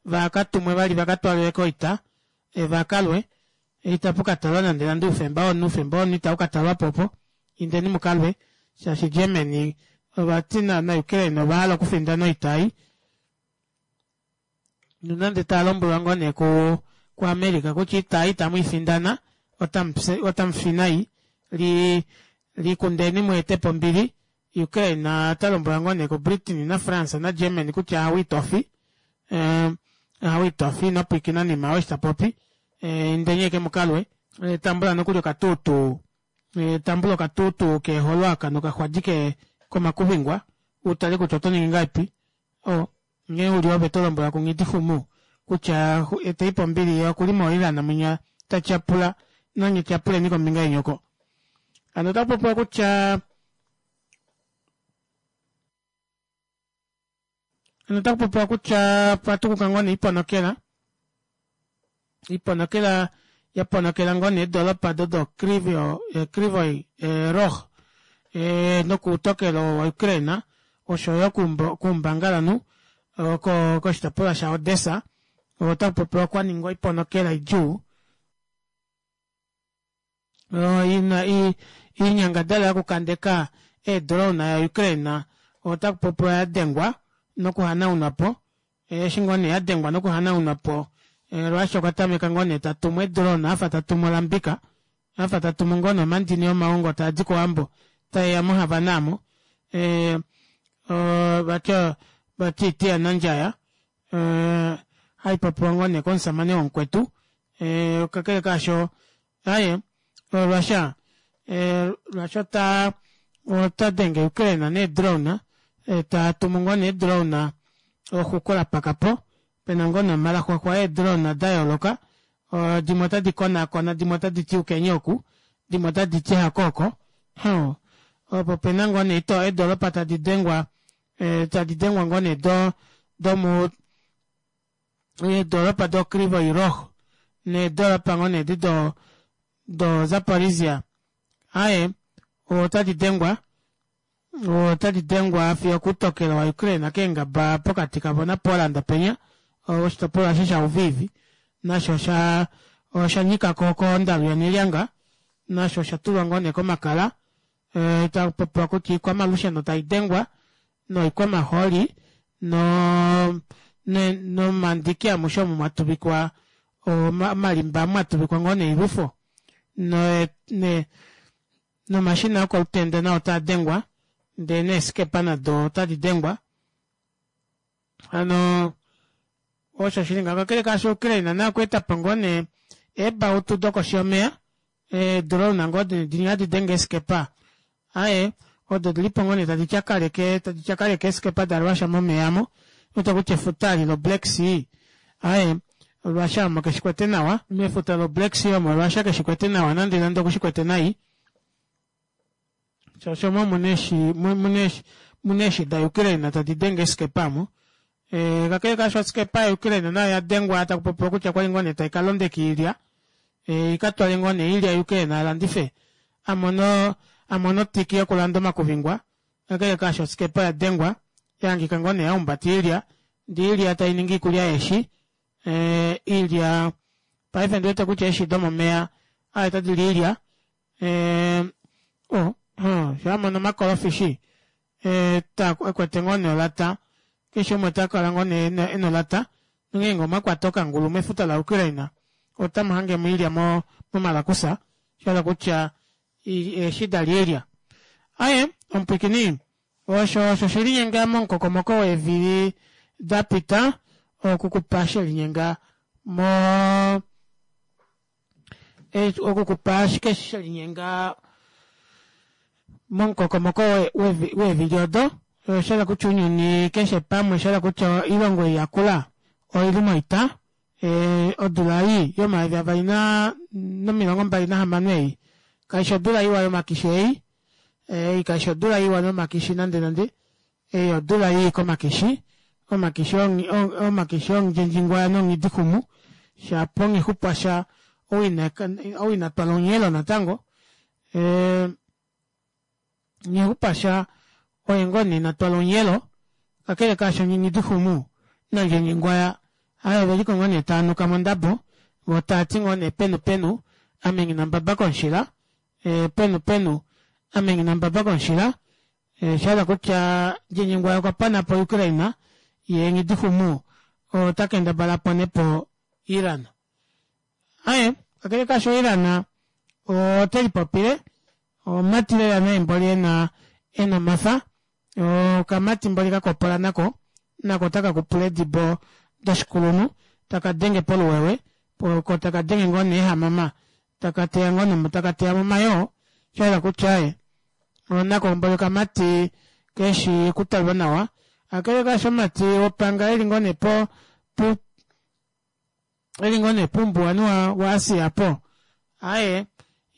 vakatumwe vali vakatwalwe koita vakalwe itapukatalwa nande nande oufemba womunhu oufemba womunhu itaukatalwapo opo indeni mukalwe shaashi Germany ovati na Ukraine ovahala okufindana oita ei nonande talombwelwa ngoo nee ku ku America kutya oita ei itamuifindana otamufi nai li likundeni mweetepo ombili Ukraine otalombwelwa ngoo nee ku Britain na France na Germany kutya ahawe itofi ahawe itofi inopwiikina nima eshi tapopi indeni ashike mukalwe tambula nokuli okatuutuu tambula okatuutuu keeholo aka nokaxwadi komakuvingwa utale kutya otoningi ngahelipi o nghee uli ove tolombwelwa ku Nghidixumu kutya eteipo ombili yee okuli mo Iran mwinya tatyapula nanye tyapuleni kombinga yeni oko hano otakupopiwa kutya hano otakupopiwa kutya pwatukuka ngoo nee oiponokela iponokela yaponokela ngoo nee eedoropa odo Kryvyi Rih nokoutokelo wa Ukraine oshoyo koumbangalanhu koshitopolwa sha Odessa otakupopiwa kwaningwa oiponokela idjuu ina oinyangadalwa yokukandeka eedrone ya Ukraine otakupopiwa yadengwa nokuhanaunwapo eshi ngoo nee yadengwa nokuhanaunwapo Russia okwa tameka ngoo nee tatumu eedrone afa tatumu olambika afa tatumu ngoo nee omandini omaongo taadi kowambo taeya mo Havana aamo vati vati oiti yanandjaya haipopiwa ngoo nee komushamane womukwetu kakele kaasho aaye Russia Russia ota otadenge Ukraine nee drone tatumu ngoo nee drone exuku lapakapo pena ngoo nee omalaxwaxwa eedrone dayooloka dimwe otadi konaakona dimwe otaditi yukeni oku dimwe otaditi hakooko opo pena ngoo nee eedoropa tadi dengwa tadi dengwa ngoo nee do domu eedoropa do Kryvyi Rih needoropa ngoo nee edi do do Zaporizhia aaye otadi dengwa otadi dengwa fiyo okuutokelo wa Ukraine keengaba pokati kavo na Poland penya oshitopolwa eshi sha Lviv nasho osha oshanyikako kondalu yanelyanga nasho oshatulwa ngoo nee komakala takupopiwa kutya oikwamalusheno taidengwa noikwamahooli no nomandiki amushe omo mwatuvikwa Omalimba mwatuvikwa ngoo neilwifo ne, ne, nomashina okolutenda nao otaa dengwa ndee neeskepa nado otadi dengwa hano osho shili ngaho kakele kaasho Ukraine naye okweetapo ngoo nee eebautu dokoshi yomeya eedrone ngoo dinya hadi denge eeskepa aaye odo odilipo ngoo nee tadi tyakaleke tadi tyakaleke eeskepa da Russia momeya aamo wete kutya efuta eli lo Black Sea aaye Russia omo keshikwete nawa mefuta lo Black Sea omo Russia keshikwete nawa nande nande okushikwete nai shaashi omo muna eeshi da Ukraine tadi denge eeskepa aamo kakele kaasho oskepa ya Ukraine nayo oyadengwa takupopiwa kutya okwali ngoo nee taikalondeka oilya ikatwale ngoo nee oilya ya Ukraine alandife amone amone otiki yokulanda omakuvingwa kakele kaasho oskepa oyadengwa yahangika ngoo nee yahumbata oilya ndee oilya tainingi oikulya yeeshi oilya paife ondiwete kutya eeshi domomeya aaye otadili oilya oh shaamona omakolofishi ekwete ngoo nee olata keshe umwe otakala ngoo nee ena olata nongeenge omwakwata okangulu mefuta la Ukraine otamuhange oilya momalakusa shahala kutya eeshi dalya oilya aaye omupwiikini osho osho shelinyenga momukokomoko weevili dapita okukupa shelinyenga moo okukupa ashike shelinyenga momukokomoko weevili odo oshahala kutya ounyuni keshe pamwe oshahala kutya oilongo ei yakula oili moita odula ei yomayovi avali nomilongo mbali nahamano ei kaifi odula iwa yomakishi ei ei kaifi odula iwa yomakishi nande nande ei odula ii komakishi omakishi omakishi omundjendjingwaya nonghidixumu shapo nghixupwasha ou ina twala onghelo natango nghixupasha oye ngoo nee ina twala onghelo kakele kaasho nghidixumu nandjendjingwaya aaye oveliko ngoo nee taanuka mondabo voo taati ngoo nee penu penu ame nghina mbaba komushila penu penu ame nghina mbaba komushila oshahala kutya ndjendjingwaya okwa panapo Ukraine yee nghidixumu ota kendabala aponepo Iran. Aaye kakele kaasho Iran otelipopile omumati lela naye mboli ena ena omafa okamati mboli kakopola nako nako otakakupula eedibo doshikulunhu takadenge poluwewe ko takadenge ngoo nee eehamama takateya ngoo takateya momayoo shayela kutya aaye nako mboli okamati keshi okutalwa nawa kakele kaasho omumati wopanga eli ngoo nee po eli ngoo nee poumbuwanhu wa Asia aapo aaye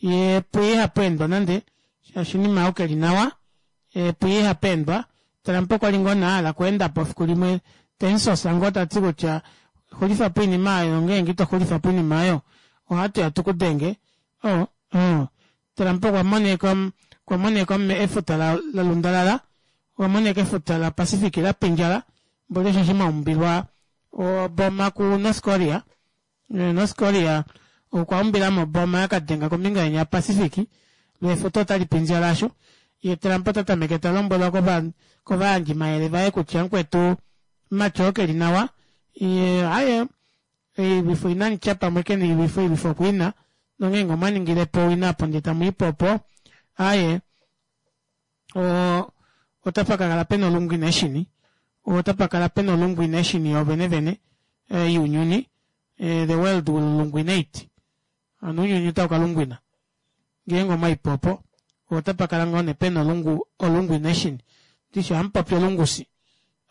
yee puye ihapeendwa nande shaashi oinima aayo keli nawa puye ihapeendwa Trump okwali ngoo nee ahala okweendapo efiku limwe temusosa ngoo tati kutya xulifapo oinima aayo ngeenge ito xulifapo oinima aayo ohatuya tukudenge oh Trump okwa moneka okwa moneka efuta lalundalala okwa moneka efuta la Pacific lapindjala mboli osheshi mwaumbilwa oboma ku North Korea North Korea okwa umbilamo oboma yakadenga kombinga yenya ya Pacific loo efuta otali pindjala aasho yee Trump ota tameke talombwelwa kovayandjimayele vaye kutya mukwetu mumati oo keli nawa yee aaye oilwifo inamutya pamwe kena oilwifo oilwifo okwiina nongeenge omwaningilepo owina opo ndee tamuipo opo aaye otapakakala pena olungwineshini otapakala pena olungwineshini yoovene vene younyuni the world will lungwinate hano ounyuni otaukalungwina ngeenge omwaipo opo otapakala ngoo nee pena olungu olungwination ndishi ohamupopi olungusi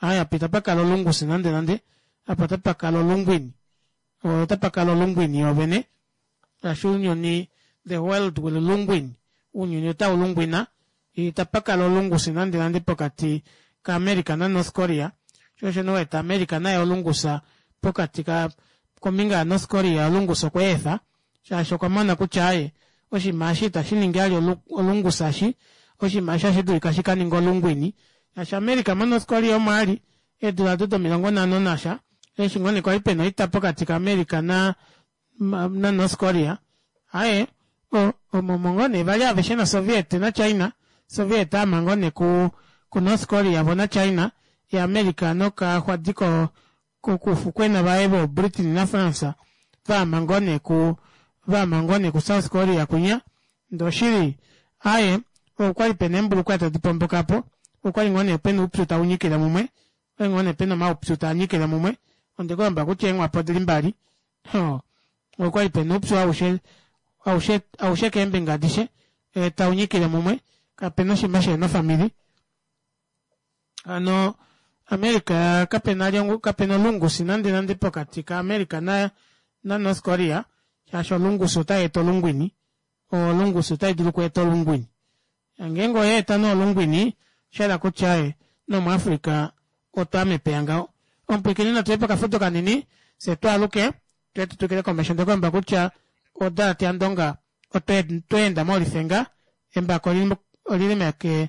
aaye apa itapakala olungusi nande nande apa otapakala olungwini otapakala olungwini yoovene shaashi ounyuni the world will lungwin ounyuni otaulungwina itapakala olungusi nande nande pokati ka America na North Korea shoo osho nee uwete America naye olungusa pokati ka kombinga ya North Korea olungusa okweefa shaashi okwa mona kutya aaye oshinima eshi itashiningi vali olungusa eshi oshinima eshi ohashi dulika shikaninge olungwini shaashi America mo North Korea omo ali eedula odo domilongo nhano nasha eshi ngoo nee kwali pena oita pokati ka America na na North Korea aaye omo ngoo nee vali aveshe na Soviet na China Soviet aama ngoo nee ku ku North Korea vo na China ye America nokaxwadi ko kokufukwena vaye vo Britain na France Vaama ngoo nee ku vaama ngoo nee ku South Korea kwinya ndee oshili aaye okwali pena eembulukweya tadi pombokapo okwali ngoo nee pena oupyu taunyikile mumwe okwali ngoo nee pena omaupyu taanyikile mumwe ondekulomba kutya eenghwapa odili mbali hoo okwali pena oupyu aushe aushe aushe keembinga adishe taunyikile mumwe kapena oshinima shihena ofamili hano America kapena kapena olungusi nande nande pokati ka America na na North Korea shaashi olungusi otayeeta olungwini olungusi otaidulu okweeta olungwini ngeenge oyaeta nee olungwini oshahala kutya ee nomu Africa otwaya mepeya ngaho omupwiikini natuye pokafudo kanini fyee twaaluke tuye tutwikile komesho ndekulomba kutya odalate yandonga otweenda molifenga embako olili meke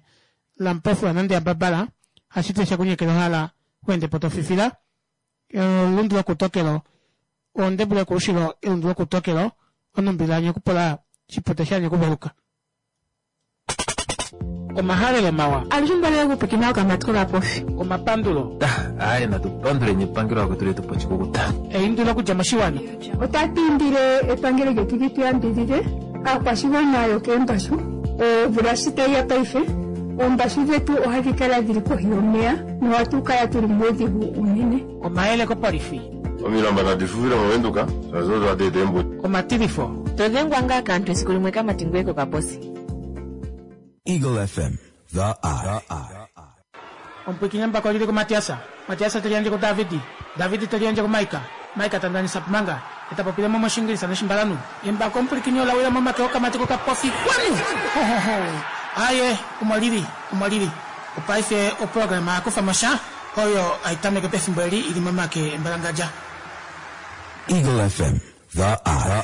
lamupofu yanande yambabala hashiti shekunyekela ohala weendepo tofifila elundu lokutokelo ondebulu yokoushilo elundu lokutokelo onumbila yanyeku-pula shipute shanyekuveluka omahalelo mawa Alushe mbalele kupikina okamatiko kapofi. Omapandulo. Aye natu panduleni epangelo lakwetu letu pochikukuta. Eindilo okudja moshiwana. Otatu indile epangelo lyetu li tu yambidhidhe aakwashigwana yokeembashu omvula shi tayi ya paife oombashu dhetu ohadhi kala dhili kohi yomeya nohatu kala tuli muudhigu uunene. Omayele kopolifi. Omilamba nadi fufile mOvenduka shaashi odo hadi eta eembuto. Omatilifo. To dhengwa ngaa kaantu esiku limwe kamati ngoye kokaposi. Eagle F M, The Eye. Omupwiikini embako olili kuMatiasa, Matiasa te liyandje kuDavidi, Davidi te liyandje kuMaika, Maika ta ndanisa Pumanga, ye ta popile mo mOshiingilisa nOshimbalanhu. Embako omupwilikini ola wila momake okamati kokapofi. Kwanu! Ho, ho, ho! Aaye, omo lili, omo lili. Opaife oprograma Kufa mo sha, oyo hai tameke pefimbo eli i li momake embalangadja. Eagle F M, The Eye.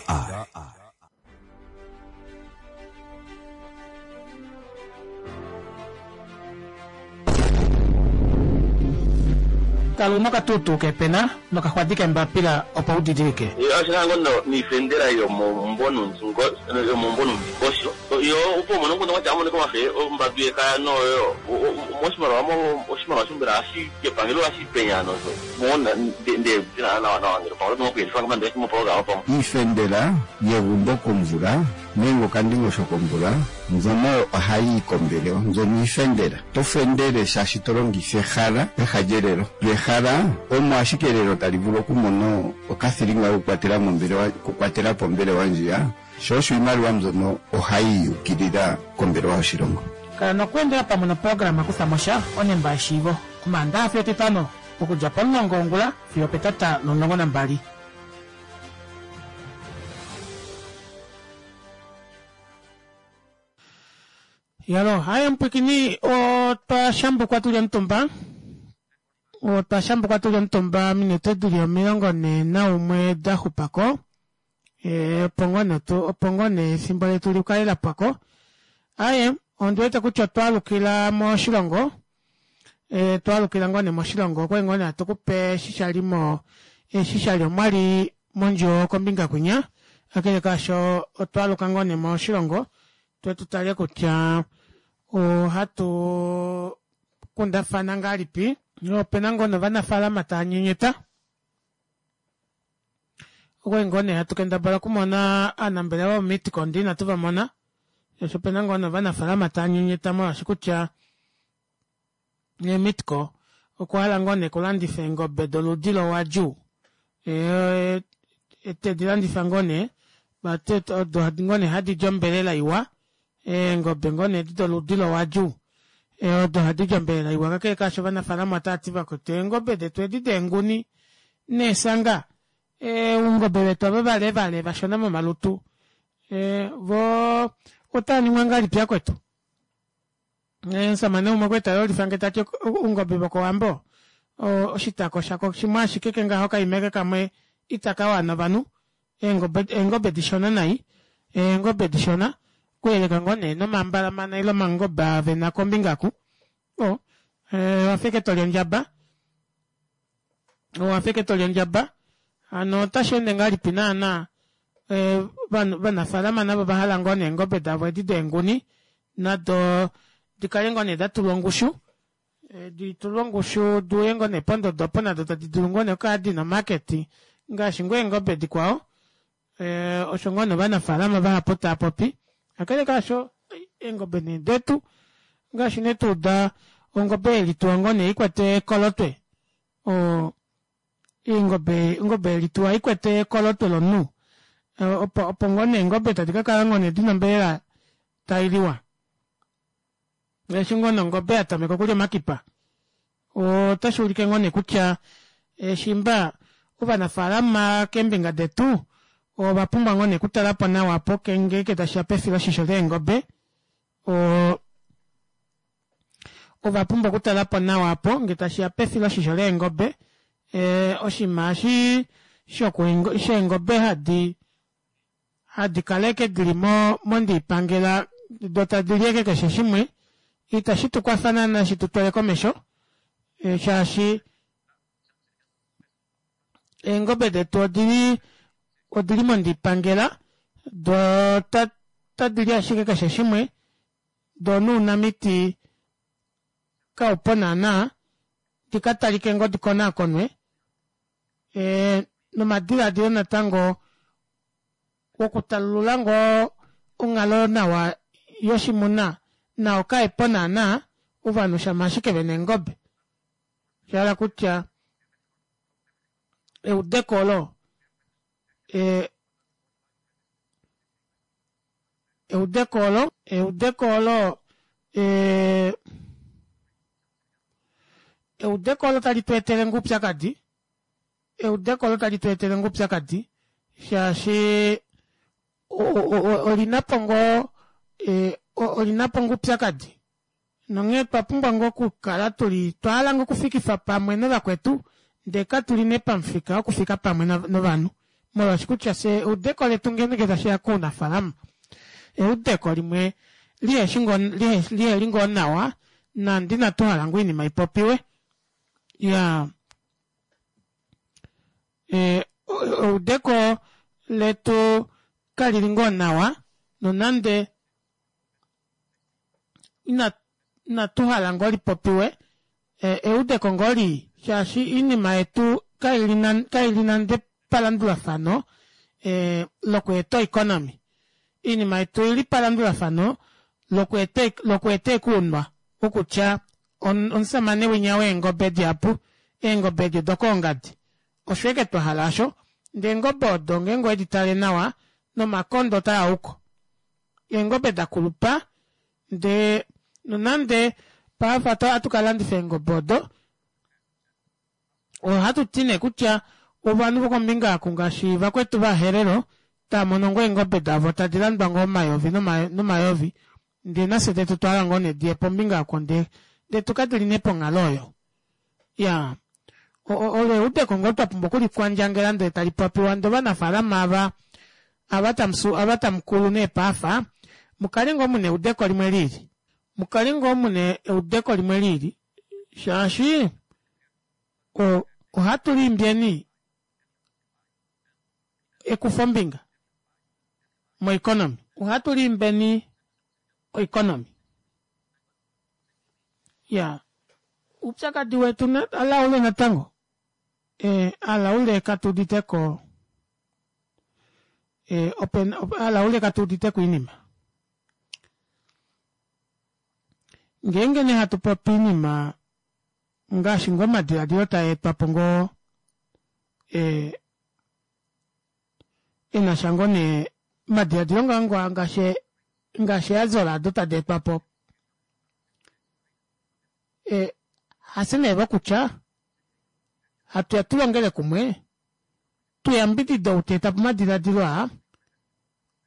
Kala una okatuutuu keepena nokaxwadi keembapila opo u didilike. Oshilango niifendela yomomumvo numvingosho yo opo umone ngundu ngati amoneka wafe ombambi yekaya noyo moshimaliwa oshimaliwa shombela ashi kepangelo ashi penya nozo mona nde ndina nawa nawa ngelo pangelo mokuyendifa ngomande moprogram pamo. Iifendela yegumbo komvula nenge okandingosho komvula mbyono ohayi yi kombelewa mbyono iifendela. To fendele shaashi to longitha ehala peha lyelelo. Lyo ehala omo ashike elelo tali vulu okumona okathilinga kokukwatela mombelewa okukwatela po ombelewa ndjiya, sho osho iimaliwa mbyono ohayi yi ukilila kombelewa yoshilongo. Kala nokweendela pamwe noprograma Kutha mo sha onemba yeshiivo Omaandaxa fiyo Etitano okudja pomulongo wongula fiyo opetata lomulongo nambali. Yalo, haye mupwikini otwa shambukwa tuli omutumba otwa shambukwa tuli omutumba minute dili omilongo nhee naumwe da xupako e, opo ngoo nee tu opo ngoo nee efimbo letu likale lapwako aaye ondi wete kutya otwa alukila moshilongo e, twa alukila ngoo nee moshilongo okwali ngoo nee hatu kupe eshi shali mo eshi shali omwali mondjuwo kombinga kwinya kakele kaasho otwa aluka ngoo nee moshilongo twe tu tale kutya ohatu kundafana ngahelipi opena ngoo novanafaalama tava nyenyeta okwali ngoo nee hatu kendabala okumona aanambelewa voMeatco ndee inatu vamona shaashi opena ngoo nee ovanafaalama tava nyenyeta molwaashi kutya Meatco okwa hala ngoo nee okulandifa eengobe doludi lowagyu tedi landifa ngoo nee vati odo ngoo nee hadi di ombelela iwa eengobe ngoo nee edi doludi lowagyu odo hadi di ombelela iwa kakele kaasho ovanafaalama otavati vakwetu eengobe detu edi deenguni neesanga oungobe vetu ava vale vale vashona momalutu voo otaaningwa ngahelipi vakwetu omushamane umwe okwali tayolifange tati oungobe vokowambo oshitako shako shimwe ashike kengaho okaima kamwe itakawana ovanhu eengobe eengobe dishona nai eengobe dishona okuyeleka ngoo nee nomambalamana ile omangobe aa vena kombinga aku o owafa ashike toli ondjaba owafa ashike toli ondjaba hano otasheende ngahelipi naana ovanafalama navo ovahala ngoo nee eengobe davo edi deenguni nado dikale ngoo nee datulwa ongushu ditulwe ongushu diuye ngoo nee pondodo opo nado tadi dulu ngoo nee okukala dina omarket ngaashi ngoo eengobe dikwao. E, osho ngoo novanafaalama vahapu tava popi kakele kaasho eengobe nee detu ngaashi nee tuuda ongobe yelituwa ngoo nee ikwete ekolotwe oo eengobe ongobe yelituwa ikwete ekolotwe lomunhu opo opo ngoo nee eengobe tadi kakala ngoo nee dina ombelela tailiwa eshi ngoo nee ongobe yatameka okulya omakipa otashuulike ngoo nee kutya shimba ovanafaalama keembinga detu ovapumbwa ngoo nee okutalapo nawa opo ngeenge tashiya pefiloshisho leengobe oo ovapumbwa okutalapo nawa aapo ngee tashiya pefiloshisho leengobe ee oshinima eshi sheengobe hadi hadi kala ashike dili mondiipangela doo tadili ashike keshe shimwe ita shitukwafa naana shitutwale komesho shaashi eengobe detu odili odili mondiipangela doo otadili ashike keshe shimwe doo nounamiti kaupo naana dikatalike ngoo dikonaakonwe ee nomadilaadilo natango wokutalulula ngoo onghalo nawa yoshimuna nao kaepo naana ovanhu shama ashike vena eengobe shahala kutya eudeko olo ee eudeko olo eudeko olo ee eudeko olo tali tweetele ngoo oupyakadi eudeko olo tali tweetele ngoo oupyakadi shaashi olinapo ngoo olinapo ngoo oupyakadi nonghee otwa ngoo okukala tuli twahala ngoo okufikifa pamwe novakwetu ndee katuli nee pamufika wokufika pamwe novanhu molwaashi kutya fyee eudeko letu ngeenge tashiya kounafalama eudeko limwe liheshi ngoo liheli ngoo nawa nande inatu hala ngoo oinima ipopiwe iyaa eudeko letu kalili ngoo nawa nonande ina inatuhala ngoo lipopiwe eudeko ngoo lii shaashi oinima yetu kaili nande palandulafano lokweeta oeconomy oinima yetu oili palandulafano lokweeta ekuunwa okutya omushamane winya weengobe dihapu eengobe edi odokoongadi osho ashike twahala aasho ndee eengobe odo ngeenge owedi tale nawa nomakondo otaauko eengobe dakulupa ndee nonande paife ohatu kalandifa eengobe odo ohatuti nee kutya ovanhu vokombinga oku ngaashi vakwetu ovaherero taamono ngoo eengobe davo tadi landwa ngoo omayovi nomayovi ndee nafye detu otwahala ngoo nee diye pombinga oko ndee ndee tukadili nee ponghalo oyo iyaa olo eudeko ngoo twapumbwa okulikwandjangela ndee talipopiwa ndee ovanafalama ava ava ava tamukulu nee paafa mukale ngoo muna eudeko limwe liili mukale ngoo muna eudeko limwe liili shaashi ohatu liimbyeni ekufombinga moeconomy ohatu liimbeni oeconomy ya oupyakadi wetu alaule natango e alaule katuuditeko e opena alaule katuuditeko oinima ngeenge nee hatu popi oinima ngaashi ngoo omadilaadilo taetwapo ngoo e enasha ngoo nee omadilaadilo ngoo ngaashi ngaashi eeazola odo tadi etwapo e hafye nee vokutya hatuya tulongele kumwe tuyambidide ou taetapo omadilaadilo aa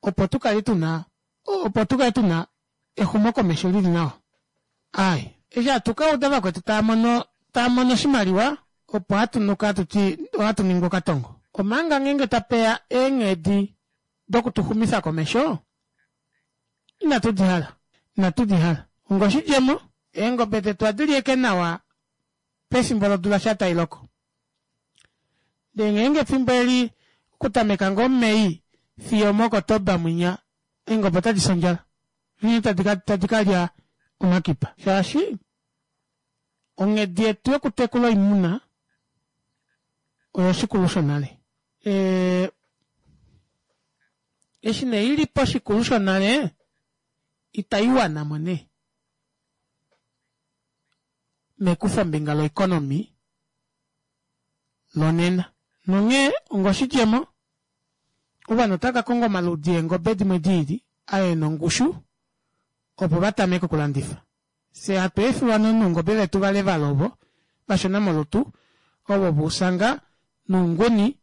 opo tukale tuna opo tukale tuna exumokomesho lili nawa aaye eshi hatu kauda vakwetu taamono taamono oshimaliwa opo hatunuka hatuti ohatu ningi okatongo omanga ngeenge tapeya eenghedi dokutuxumifa komesho inatu dihala inatu dihala onga oshidjemo eengobe detu ohadi li nawa pefimbo lodula sha tailoko ndee ngeenge efimbo eli okutameka ngoo Mei fiyo moKotoba mwinya eengobe otadi fi ondjala nghee tadi kalya omakipa shaashi onghedi yetu yokutekula oimuna oyoshikulu shonale. Eshi nee ili poshikulu shonale itaiwana mo nee mekufombinga loeconomy lonena. Nonghee ongoshidjemo, ovanhu otava ka konga omaludi eengobe dimwe diili aa ena ongushu opo vatameke okulandifa. Fyee hatu efiwa noungobe vetu valevala ovo vashona molutu ovo vousanga nounguni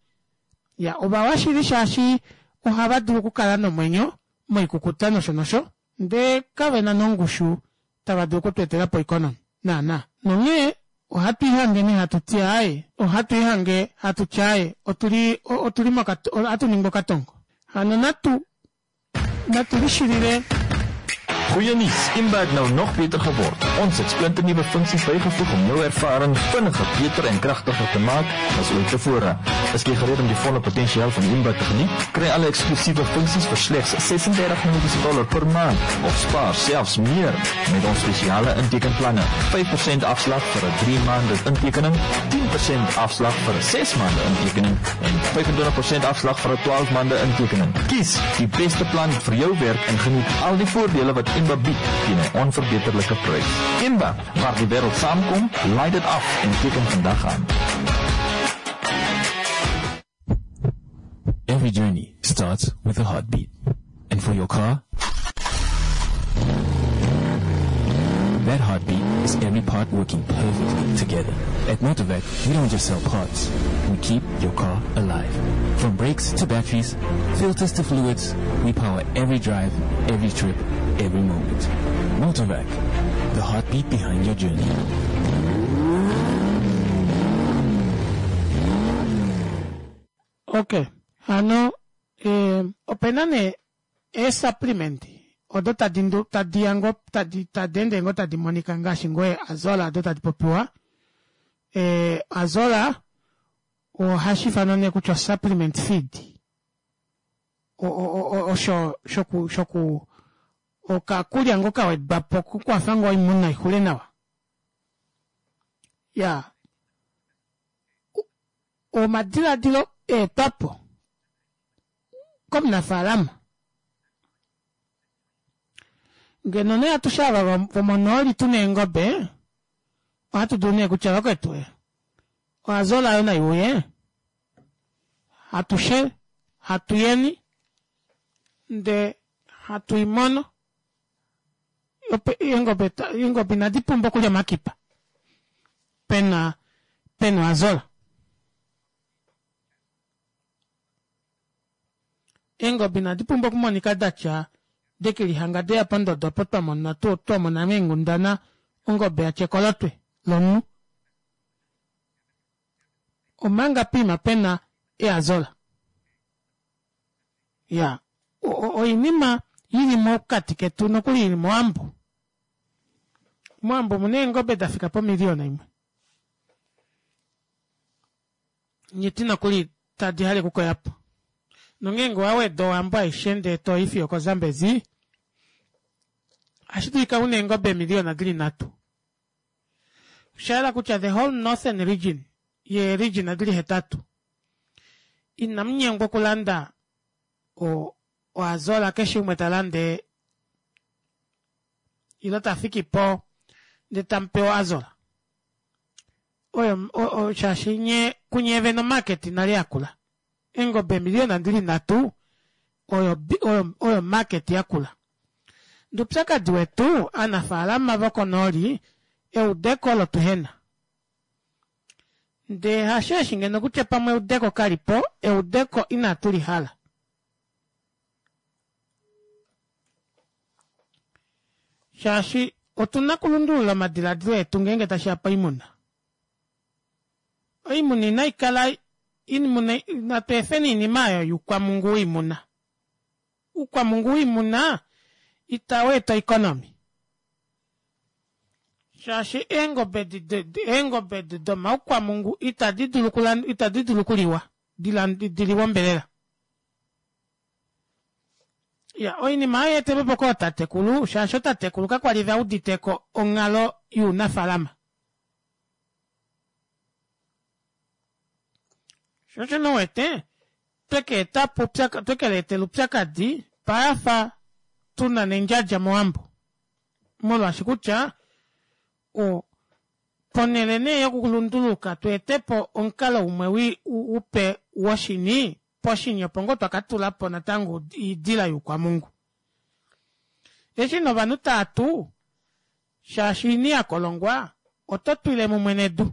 ya ovawa shili shaashi ohava dulu okukala nomwenyo moikukuta nosho nosho ndee kavena nongushu tava dulu okutweetela po economy naana. Nonghee ohatu ihange nee hatu ti aaye ohatu ihange hatu ti aaye otuli otuli mokat ohatu ningi okatongo hano natu natu lishilile Goeie nuus, Imba het nou nog beter geword. Ons het splinternuwe funksies bygevoeg om jou ervaring vinniger, beter en kragtiger te maak as ooit tevore. Is jy gereed om die volle potensiaal van Imba te geniet? Kry alle eksklusiewe funksies vir slegs ses-en-dertig Namibiese dollar per maand of spaar selfs meer met ons spesiale intekenplanne. vyf persent afslag vir 'n drie maande intekening, tien persent afslag vir 'n ses maande intekening en vyf-en-twintig persent afslag vir 'n twaalf maande intekening. Kies die beste plan vir jou werk en geniet al die voordele wat Imba bied teen 'n onverbeterlike prys. Imba, waar die wêreld saamkom, laai dit af en teken vandag aan. Every journey starts with a heartbeat. And for your car, that heartbeat is every part working perfectly together. At Motorvac, we don't just sell parts. We keep your car alive. From brakes to batteries, filters to fluids, we power every drive, every trip, every moment. Motorvac, the heartbeat behind your journey. Okay, hano, eh, opena nee ee-supplement odo tadi ndu, tadi ya ngoo, tadi, tadi ende ngoo tadi monika ngaashi ngoo azola odo tadi popiwa. Eh, azola ohashi ifanwa nee kutya supplement feed. O, o, o, osho shoku, shoku, okakulya ngoo kawedwa po kukwafa ngoo oimuna ixule nawa. Ya. Omadiladilo eetwapo komunafaalama. Ngeno nee atushe ava vomonooli tuna eengobe, ohatu dulu nee kutya vakwetu oazola yo nai uye, atushe hatu yeni nde hatu imono. Ope, eengobe ta, eengobe inadi pumbwa okulya omakipa. Pena, pena oazola. Eengobe inadi pumbwa okumonika datya dekilihanga deya pondodo opo twamona tu, twamona meengundana ongobe yatya ekolotwe lomunhu. Omanga pima pena eazola. Ya, oinima ili mokati ketu nokuli ili moambo. Moambo muna eengobe da fika pomiliona imwe. Nyiti nokuli tadi hale kukoyapo. Nongeenge waweda owambo aishe ndee to ifiyo koZambezi, ohashi dulika una eengobe emiliona dili nhatu. Osha yela kutya the whole northern region, ye region dili hetatu, inamunyengwa okulanda o, oazola keshe umwe ta lande ilo ta fiki po ndee tamupe oazola. Oyo, o, o, shaashi nye, kunye vene omarket nale yakula. Eengobe emiliona dili nhatu oyo, oyo, oyo market yakula. Ndupyakadi wetu aanafaalama vokonooli eudeko olo tuhena. Ndee hasho eshi ngeno kutya pamwe eudeko kalipo, eudeko inatu lihala. Shaashi otuna kulundulula omadiladilo etu ngeenge tashi ya poimuna. Oimuna inai kala imuna, natu efeni oinima oyo youkwamungu woimuna. Oukwamungu woimuna itau eta economy. Shaashi eengobe di, di, di, eengobe di domaukwamungu itadi dulu kulan-, itadi dulu kuliwa, dilan-, di, diliwa ombelela. Ya, oinima oyo yeetele po kootatekulu, shaashi ootatekulu kakwali va uditeko onghalo younafaalama. Sho osho nowete, Tweka etapo twekeleetela upyakadi payafa tuna nendjadja mowambo molwaashi kutya o ponele nee yokulunduluka tweetepo omukalo umwe upe woshini poshini opo ngoo twakatulapo natango oidila youkwamungu eshi novanhu taatu shaashi oini yakolongwa oto twile mumwe nedu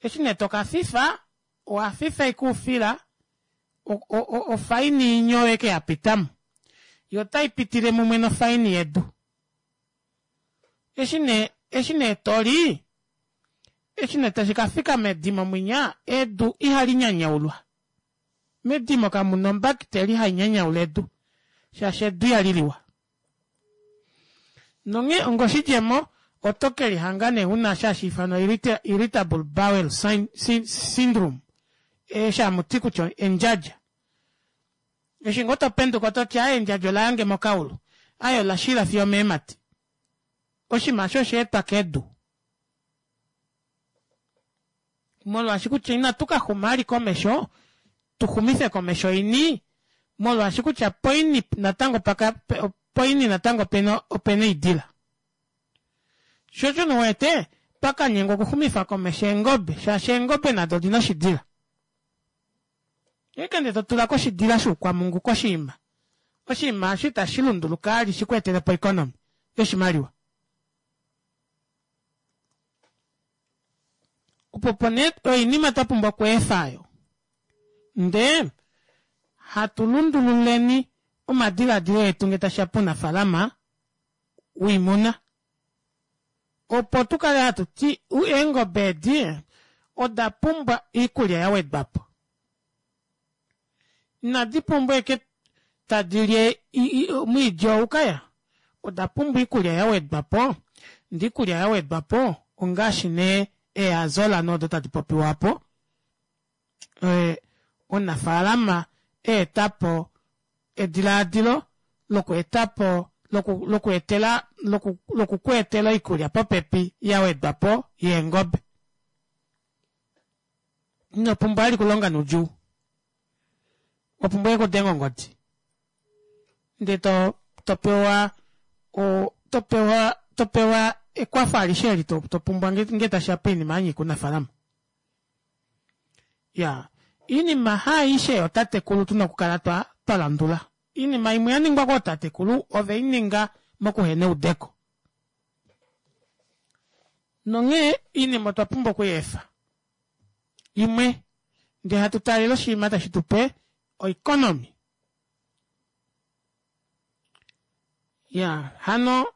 eshi nee tokafifa owafifa ashike oufila ofaini inyo eke yapitamo yo otaipitile mumwe nofaini yedu eshi nee eshi nee toli eshi nee tashikafika medimo mwinya edu ihalinyanyaulwa medimo kamuna ombakiteli hainyanyaula edu shaashi edu ihaliliwa nonghee onga oshidjemo oto kelihanga nee una sha hashiifanwa irritable bowel syndrome eshi hamuti kutya endjadja eshi ngoo topenduka ototi aaye endjadja olayange mokaulu aaye olashila fiyo omeemati oshinima aasho oshaetwa kedu molwaashi kutya inatu kaxuma vali komesho tuxumife komesho oini molwaashi kutya poini natango paka poini natango opena opena oidila sho osho uwete twakanyengwa okuxumifa komesho eengobe shaashi eengobe nado odina oshidila ngeenge totulako oshidila shoukwamungu koshiima oshinima aasho itashi lunduluka vali shikweetelepo oeconomy yoshimaliwa opo opo nee oinima twapumbwa okweefa aayo ndee hatu lundululeni omadilaadilo etu ngee tashiya pounafalama woimuna opo tukale hatuti eengobe edi oda pumbwa oikulya yawedwapo inadi pumbwa ashike tadili omwiidi oukaya oda pumbwa oikulya yawedwapo ndee oikulya yawedwapo ongaashi nee eeazola nee odo tadi popiwa aapo omunafalama eetapo edilaadilo lokweetapo lokweetela lokukweetela oikulya popepi yawedwapo yeengobe inopumbwa vali okulonga noudjuu wapumbwa ashike okudenga ongodi ndee topewa topewa topewa ekwafo alishe eli topumbwa ngee tashiya poinima yanyika ounafalama iyaa oinima haaishe yootatekulu tuna okukala twalandula oinima imwe yaningwa kootatekulu oveininga mokuhena eudeko nonghee oinima otwa pumbwa okuyeefa imwe ndee hatu taalele oshinima tashi tupe oeconomy iyaa hano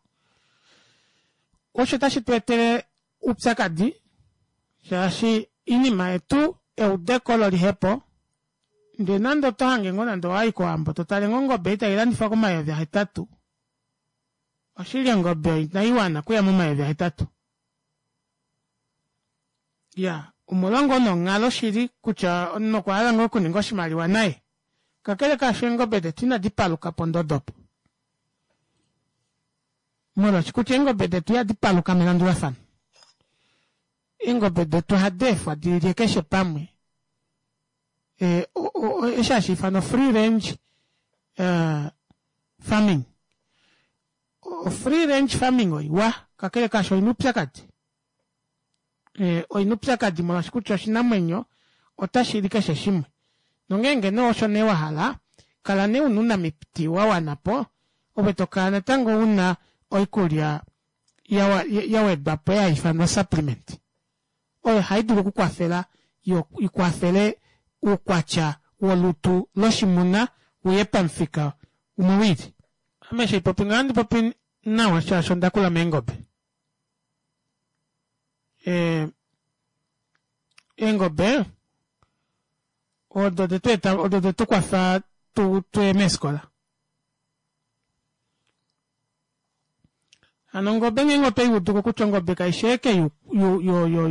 osho otashi tweetele oupyakadi shaashi oinima yetu eudeko olo lihepo ndee nande otohange ngoo nande owayi kowambo totale ngoo ongobe ei tailandifwa komayovi ahetatu oshili ongobe oyo inaiwana okuya momayovi ahetatu iyaa omolwa ngoo nee onghalo shili kutya omunhu okwahala ngoo okuninga oshimaliwa naye kakele kaasho eengobe detu inadi paluka pondodo opo molwaashi kutya eengobe detu ihadi paluka melandulafano eengobe detu ohadi efwa dilye keshe pamwe eshi hashiifanwa free range farming free range farming oiwa kakele kaasho oina oupyakadi oina oupyakadi molwaashi kutya oshinamwenyo otashili keshe shimwe nongeenge nee osho nee wahala kala nee una ounamiti wawanapo ove tokala natango una oikulya yawedwapo ei haifanwa supplement oyo haidulu okukwafela ikwafele oukwatya wolutu loshimuna uye pamufika umwe wiili ame eshi haipopi ngaho ohandi popi nawa shaashi ondakula meengobe eengobe odo detweeta odo detukwafa tuye meefikola hano ongobe ngeenge otweiuduko kutya ongobe kaifi ashike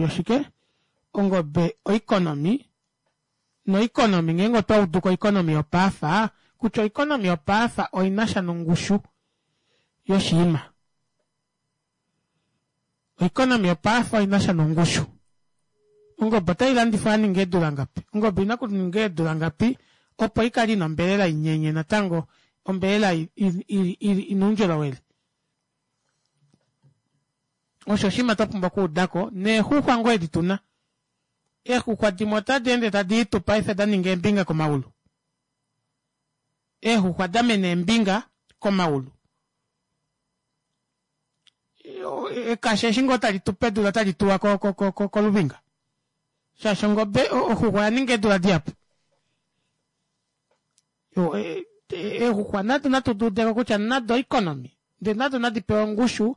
yoshike ongobe oeconomy noeconomy ngeenge otwauduko oeconomy yopaafa kutya oeconomy yopaafa oinasha nongushu yoshinima oeconomy yopaafa oinasha nongushu Ongobe otailandifwa yaninga eedula ngapi? Ongobe oina kuninga eedula ngapi opo ikale ina ombelela inyenye natango ombelela ina oundjolowele. Osho oshinima twapumbwa okuudako neexuxwa ngoo edi tuna. Eexuxwa dimwe otadi ende tadi itu paife daninga eembinga komaulu. Eexuxwa damena eembinga komaulu. Ekasha eshi ngoo tali tu pedula otali tuwa koluvinga. Shaashi ongobe oxuxwa oyaninga eedula dihapu. Eexuxwa nado natu duudeko kutya nado oeconomy ndee nado nadi pewe ongushu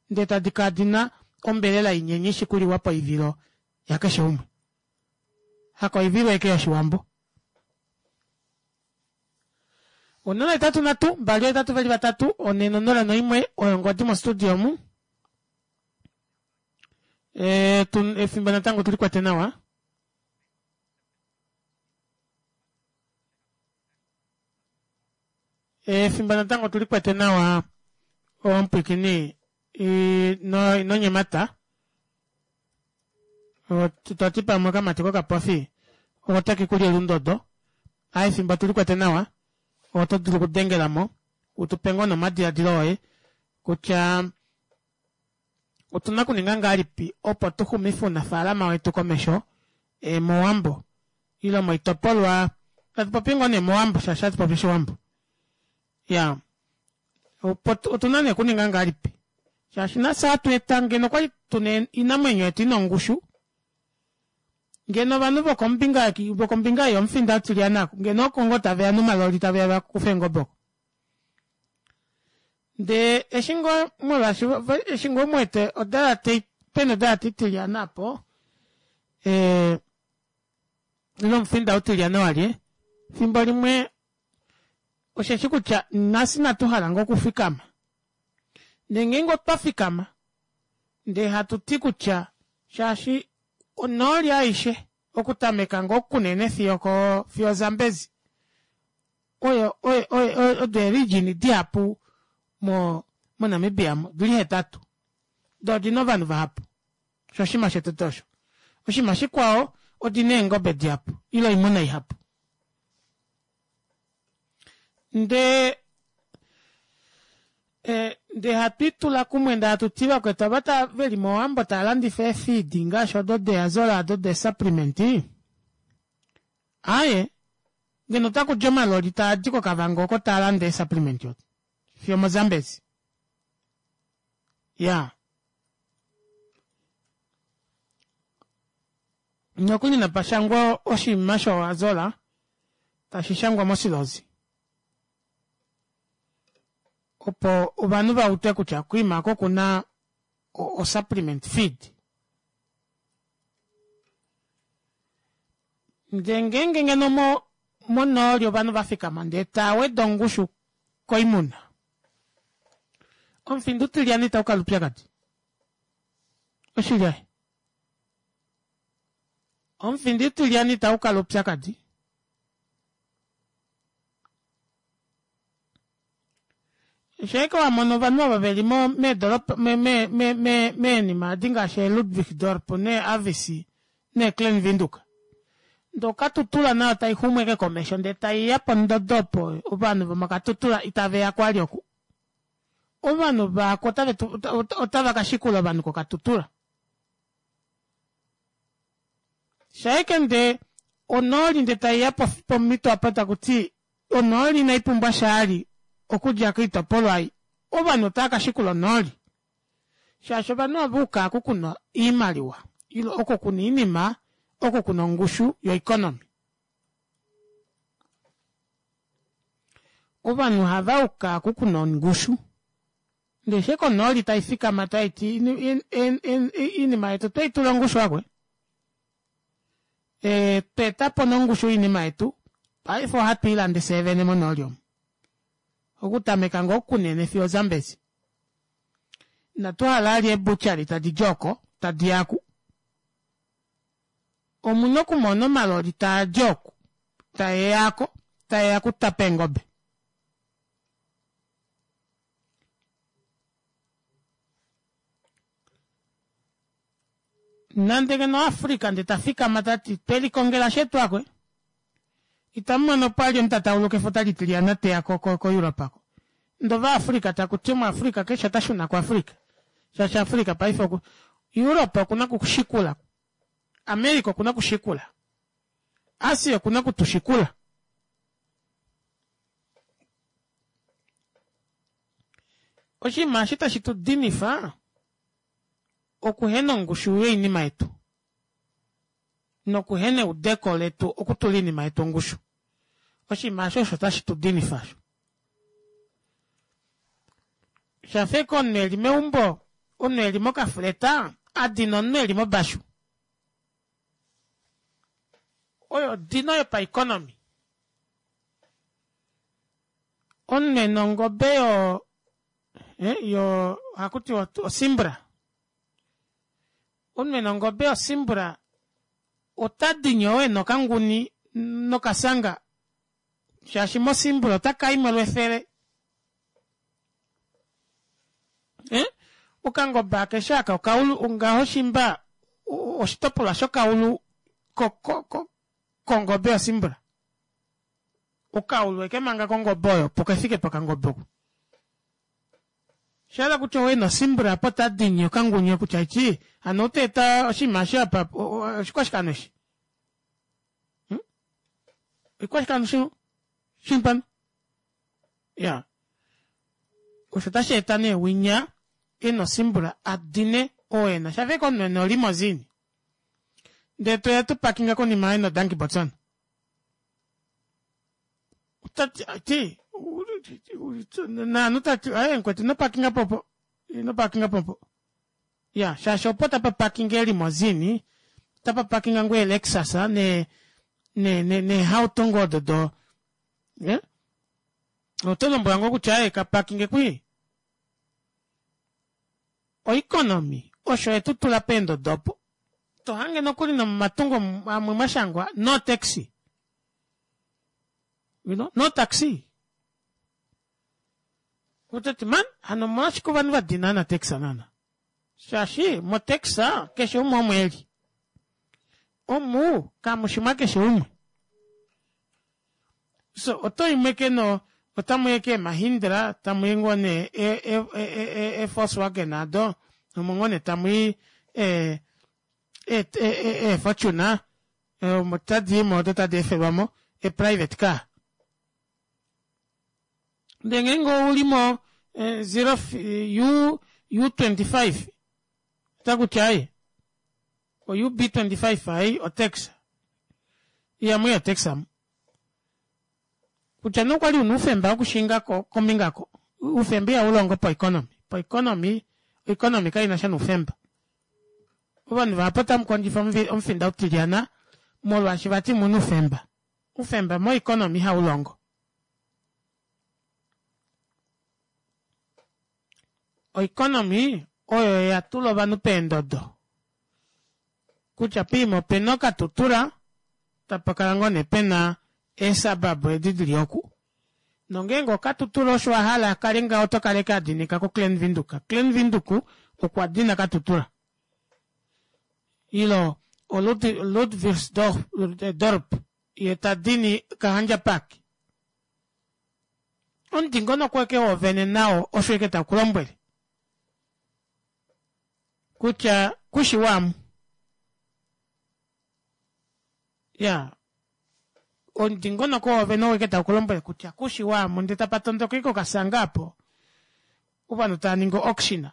ndee tadi kala dina ombelela inyenye ishi kuliwa poivilo yakeshe umwe. Hakoivilo ashike yoshiwambo. Onola hetatu nhatu mbali hetatu veli vatatu one nonola noimwe oyo ongodi mo studio omu. E, efimbo natango tulikwete nawa. Efimbo natango tulikwete nawa omupwikini ino ino nyemata. Twati pamwe okamati kokapofi otake kuli elundodo. Aa efimbo tulikwete nawa oto dulu okudengelamo utupe ngoo nomadiladilo oye kutya otuna okuninga ngahelipi opo tuxumife ounafalama wetu komesho e, mowambo ile moitopolwa tatupopi ngoo nee mowambo shaashi hatupopi oshiwambo. Ya opo otuna nee okuninga ngahelipi shaashi nafye ohatu eta ngeno okwali tuna oinamwenyo yetu ina ongushu ngeno ovanhu vokombinga vokombinga yomufinda utilyana ngeno oko ngoo taveya nomaloli taveya vakufe eengobe oko. Ndee eshi ngoo molwaashi eshi ngoo muwete odalate pena odalate itilyana apo ee ile omufinda utilyana walye fimbo limwe osheshi kutya nafye inatu hala ngoo okufikama. Ndee ngeenge otwa fikama ndee hatu ti kutya shaashi onooli aishe okutameka ngoo kunene fiyo ko fiyo Zambezi oyo oyo oyo odo eeregion dihapu mo moNamibia odili hetatu doo odina ovanhu vahapu osho oshinima shotete osho. Oshinima shikwao odina eengobe dihapu ile oimuna ihapu. Ndee ndee hatwiitula kumwe ndee hatuti vakwetu ava tava veli mowambo taalandifa eefeed ngaashi odo deeazola odo deesupplement aaye ngeno otakudi omaloli taadi koKavango oko taalande eesupplement odo fiyo moZambezi. Ya nokuli napashangwa oshinima shoazola tashi shangwa mosilozi opo ovanhu va ude kutya kuima oko kuna o supplement feed. Ndee ngeenge ngeno mo monooli ovanhu vafikama ndee taweda ongushu koimuna omufinda utilyana itaukala oupyakadi. Oshili aaye. Omufinda utilyana itaukala oupyakadi. Sheeke wamona ovanhu ava veli mo meedoropa me me me me meenima edi ngaashi eeludwigsdorp neeavis neeklein Windhoek. Ndee okatutula nayo taixumu ashike komesho ndee taiya pondodo opo ovanhu vomokatutula itaveya kwali oku. Ovanhu vaako otave otava kashikula ovanhu kokatutula. Shaike ndee onooli ndee taiya pomhito apa takuti onooli inaipumbwa shaali okudja koitopolwa ei ovanhu otava kashikula onooli. Shaashi ovanhu ohava uka oku kuna oimaliwa ile oko kuna oinima oko kuna ongushu yoeconomy. Ovanhu ohava uka oku kuna ongushu. Ndee sheke onooli taifikama taiti oinima yetu otweitula ongushu akwe. E, tweetapo nongushu yoinima yetu paife ohatu ilande fyee vene monooli omu. Okutameka ngoo kunene fiyo Zambezi. Inatu hala vali eebuchari tadi di oko tadi yaku. Omuna okumona omaloli taadi oku taeyako taeya okutapa eengobe. Nande ngeno Africa nde tafikama tati twelikongela shetu akwe. Itamu pali omutatauluka efuta litilyana teya ko ko ko Europe ako. Ndova Africa takuti mu Africa keshe tashuna ku Africa. Shaashi Africa paife oku Europe okuna kushikula. America okuna kushikula. Asia okuna kutushikula. Oshinima eshi tashi tu dinifa okuhena ongushu yoinima yetu nokuhena eudeko letu okutula oinima yetu ongushu. Oshinima osho osho tashi tu dinifa osho. Shafeka omunhu eli meumbo, omunhu eli mokafuleta adina omunhu eli mobashu. Oyo dino yopaeconomy. Omunhu ena ongobe yo eh, yo hakuti osimbra. Omunhu ena ongobe yosimbra ota dinyo ena okanguni nokasanga shaashi mosimbra ota kaimwe lwefele. Eh? Okangobe akeshe aka okaulu ngaho shimba oshitopolwa shokaulu ko, ko, ko, kongobe yosimbra. Okaulu eke manga kongobe oyo opo kefike pokangobe oko. Shala kutya owe nosimbra apo tadinyi okangunye kutya ichi hano oteeta oshinima eshi apa oshikwashikano eshi. Hmm? Oshikwashikano shi shimpano. Ya. Osho tashi eta nee winya ena osimbra adine owena. Shafeka omunhu ena olimousine. Ndee toya tupakinga konima ena odanki Botswana. Tati ti naanu tati aye nkwetu ino pakinga popo. Ino pakinga popo. Ya, shaashi opo tapa pakinga elimousine, tapa pakinga ngoo Lexus ne ne ne ne hauto ngoo odo do. Eh? Oto lombwela ngoo kutya aye kapakinge kwi. Oeconomy osho yetu tula peendodo opo. Tohange nokuli nomomatungo amwe mwashangwa no taxi. You know, no taxi. Otati man, hano omolwashike ovanhu va dina na taxi nana. Shaashi mo taxi keshe umwe omo eli. Omu kamushimwa keshe umwe. So oto imwe keno otamu ye ke Mahindra, tamu i ngoo ne e e e e Volkswagen ado, omo ngoo ne tamu i e e e e Fortuner, omo tadi imo odo tadi efelwamo e private car. Ndee ngeenge oulimo zero U U twenty five otakuti aye o U B twenty five ai o taxi. Ihamu i o taxi amu. Kutya nee okwali una oufemba wokushinga kombinga ko. Oufemba ihaulongo po economy. Po economy, oeconomy kainasha noufemba. Ovanhu vahapu otamu kondjifa omufinda utilyana molwaashi vati muna oufemba. Oufemba mo economy ihaulongo. Oeconomy oyo ya tula ovanhu peendodo. Kutya piima opena okatutura, tapa kala ngoo nee pena eesababu edi dili oku. Nongeenge okatutura osho wahala akale ngaho oto kaleke adinika ko Klein Windhoek. Klein Windhoek okwa dina katutura. Ilo o Ludwigsdorp ye tadini Kahandja Park. Omudingonoko weke woovene nao osho eke taukulombwele. Kutya kushiwamu. Ya. Omudingonoko woovene oweke taukulombwele kutya kushiwamu ndee tapa tondoka ike okasanga apo. Ovanhu tava ningi auction.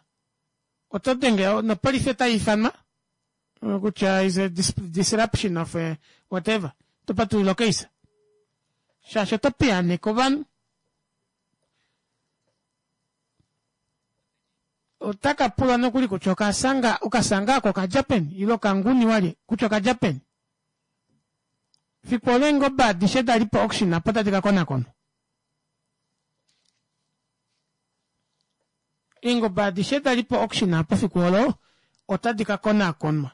Oto denge nopolifi otai ifanwa kutya is a disruption of whatever. To patulula okeisa. Shaashi oto piyaaneke ovanhu. Otaka pulwa nokuli kutya okasanga okasanga ako okadja peni ile okanguni walye kutya okadja peni. Fiku olo eengobe adishe dali po auction apo tadi ka konakonwa. Eengobe adishe dali po auction apo fiku olo otadi ka konakonwa.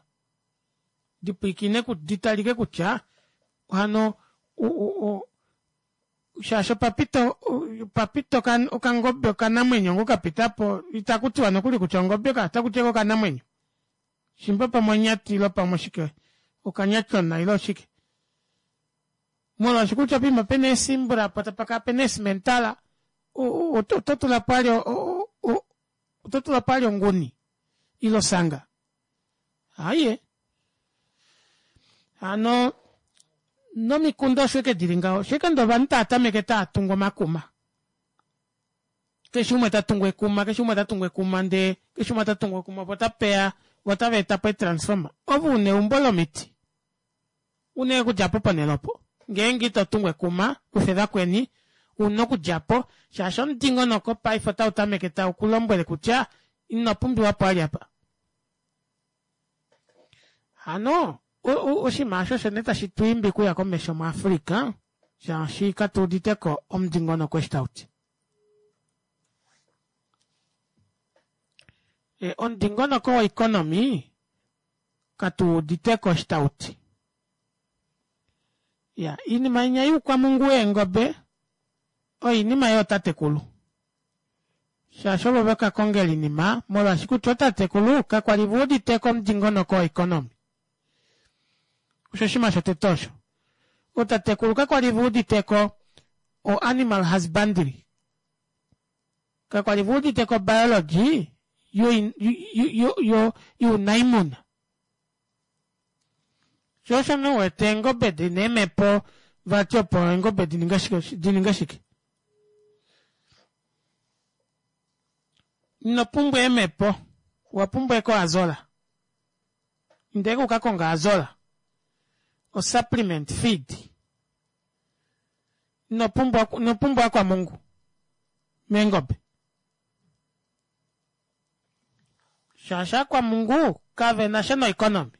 Dipwiikine ditalike kutya hano shaashi opapita opapita okangobe okanamwenyo ngo kapitapo itakutiwa nokuli kutya ongobe ka otakutiwa okanamwenyo. Shimba pamwe onyati ile pamwe oshike okanyatyona ile oshike. Molwaashi kutya poima pena eesimbula po tapa kala pena eesimentala oto tula po ali oto tula po ali onguni ile osanga. Aaye hano nomikunda osho ashike dili ngaho osho ashike ndee ovanhu taatameke taatungu omakuma keshe umwe tatungu ekuma keshe umwe tatungu ekuma ndee keshe umwe tatungu ekuma opo tapeya voo otavaetapo eetransformer ove una eumbo lomiti una okudjapo ponele opo ngeenge itotungu ekuma kufe vakweni una okudjapo shaashi omudingonoko paife otautameke taukulombwele kutya ino pumbiwapo vali apa. Hano oshinima aasho osho nee tashi twiimbi okuya komesho mu Africa shaashi katuuditeko omudingonoko eshi tauti. Omudingonoko wo economy katuuditeko eshi tauti. Iya oinima inya youkwamungu weengobe oyo oinima yootatekulu shaashi ovo vakakongela oinima molwaashi kutya ootatekulu kakwali veuditeko omudingonoko wo economy. Osho oshinima shotete osho. Ootatekulu kakwali veuditeko o animal husbandry kakwali veuditeko biology younaimuna. Shoo osho nee uwete eengobe dina eemhepo vati opo eengobe dininge shike dininge shike. Ino pumbwa eemhepo owapumbwa ashike oazola. Inda ashike ukakonge oazola o supplement feed. Ino pumbwa ino pumbwa akwamungu meengobe. Shaashi akwamungu kavenasha no economy.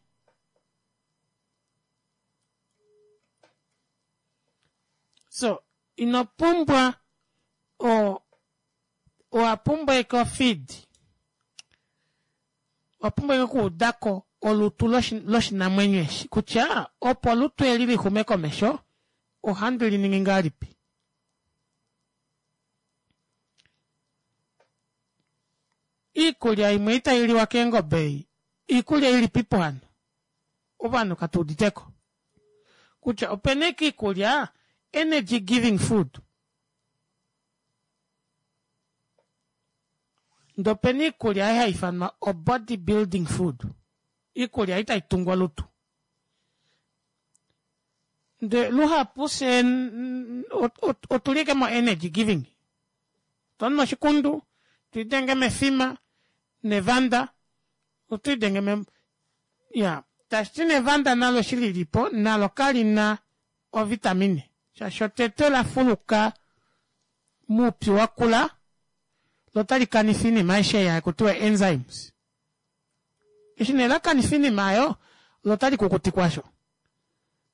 So ino pumbwa o owapumbwa ashike ofeed. Owapumbwa ashike okuudako olutu loshinamwenyo eshi kutya opo olutu eli lixume komesho ohandi liningi ngahelipi. Iikulya imwe itailiwa keengobe ei iikulya ilipipo hano ovanhu katuuditeko kutya opena ashike iikulya energy giving food ndee opena iikulya ei haifanwa o body building food iikulya ei taitungu olutu. Ndee luhapu fyee otuli ashike mo energy giving otwanu oshikundu twiidenge mefima nevanda otwiidenge me iyaa tashiti nevanda nalo eshi lilipo nalo kalina ovitamine shaashi otete olafuluka moupyu wakula loo otali kanifa oinima aishe ei hakutiwa enzymes. Eshi nee lakanifa oinima aayo loo otali kukutikwa osho.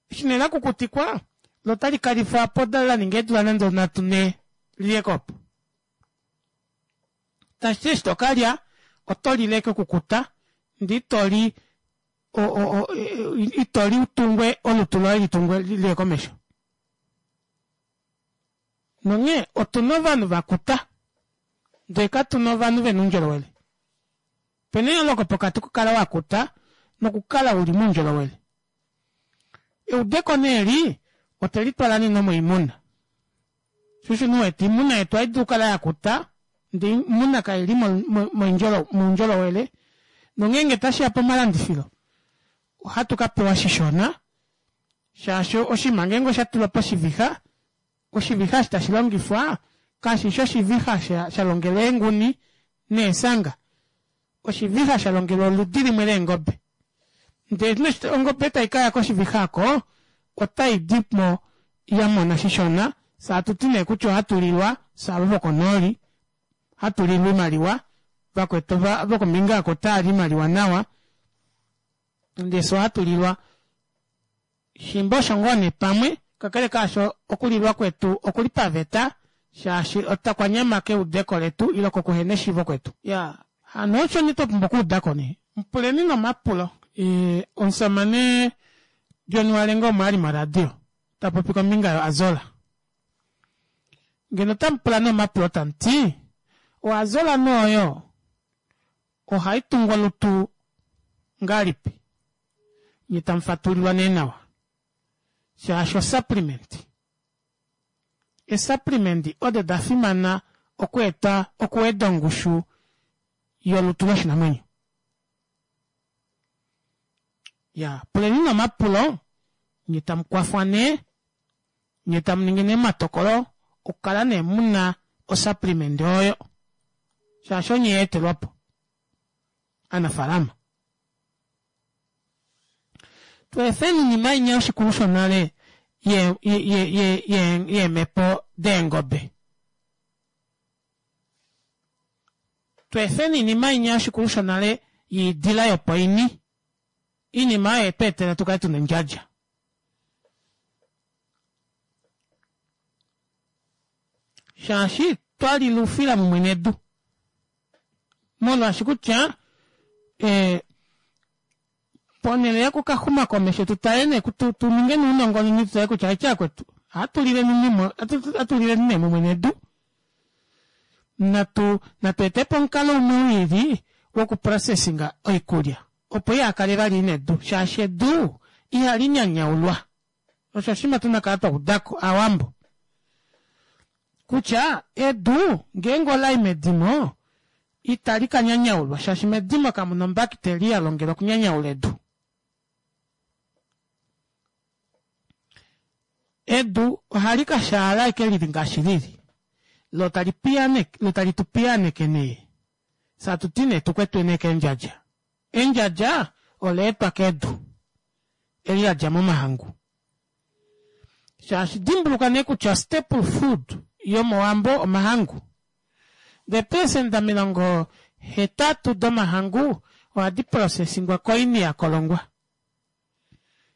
Eshi nee lakukutikwa loo otali kalifwapo laninga eedula nande nhatu nhee liliyeko opo. Tashiti eshi tokalya otolile ashike okukuta ndee itoli itoli utungwe olutu loye litungwe liye komesho. Nonghee otuna ovanhu vakuta ndee katuna ovanhu vena oundjolowele. Opena eyooloko pokati kokukala wakuta nokukala uli moundjolowele. Eudeko nee eli otwelitwala nee nomoimuna. Shoo osho nee uwete oimuna yetu ohaidulu okukala yakuta ndee oimuna kaili moundjolowele nongeenge tashiya pomalandifilo ohatu kapewa shishona shaashi oshinima ngeenge oshatulwa poshivixa oshivixa eshi tashilongifwa kashishi oshivixa shalongelwa eenguni neesanga oshivixa shalongelwa oludi limwe leengobe. Ndee ongobe taikaya koshivixa aako otaidimo yamona shishona fyee hatuti nee kutya ohatulilwa fyee ava vokonooli hatulilwa oimaliwa vakwetu vokombinga aako otaali oimaliwa nawa ndee fyee ohatulilwa shimba osho ngoo nee pamwe kakele kaasho okulilwa kwetu okuli paveta shaashi okwanyama keudeko letu ile kokuhena eshiivo kwetu. Iyaa hano osho nee twapumbwa okuudako nee. Puleni nee omapulo. Omushamane John Walenga omo ali moradio tapopi kombinga yo Azola. Ngeno otamupula nee omapulo tamuti o Azola nee oyo ohaitungu olutu Ngahelipi? Nye tamu fatulilwa nee nawa. Shaashi osupplement. Esupplement odo da fimana okweeta okuweda ongushu yolutu loshinamwenyo. Ya, puleni nomapulo, nye tamu kwafwa nee, nye tamu ningi nee omatokolo okukala nee muna osupplement oyo. Shaashi onye ya etelwapo. Aanafalama. Tweefeni oinima inya yoshikulu shonale ye ye ye ye yeemhepo deengobe. Tweefeni oinima inya yoshikulu shonale yiidila yopoini. Iinima oyo yetu etela tukale tuna ondjadja. Shaashi twali lufila mumwe nedu. Molwaashi kutya eh, ponhele yokukaxuma komesho tutale nee tu ninge nounongononi tutale kutya aitya akwetu ohatu lileni ohatu lileni nee mumwe nedu natu natu etepo omukalo umwe wiili wokuprocessinga oikulya opo ihakale vali ina edu shaashi edu ihali nyanyaulwa. Osho oshinima tuna kala twa udako Aawambo kutya edu ngeenge olai medimo itali ka nyanyaulwa shaashi medimo kamuna ombakiteli ya longelwa okunyanyaula edu. Edu ohali ka shaala eke lili ngaashi lili lo tali piyaneke lo tali tu piyaneke nee satuti nee tukwetwe nee keendjadja. Endjadja ola etwa kedu eli ladja momahangu. Shaashi dimbuluka nee kutya staple food yomowambo omahangu. Ndee eepelesenda omilongo hetatu domahangu ohadi processingwa koini yakolongwa.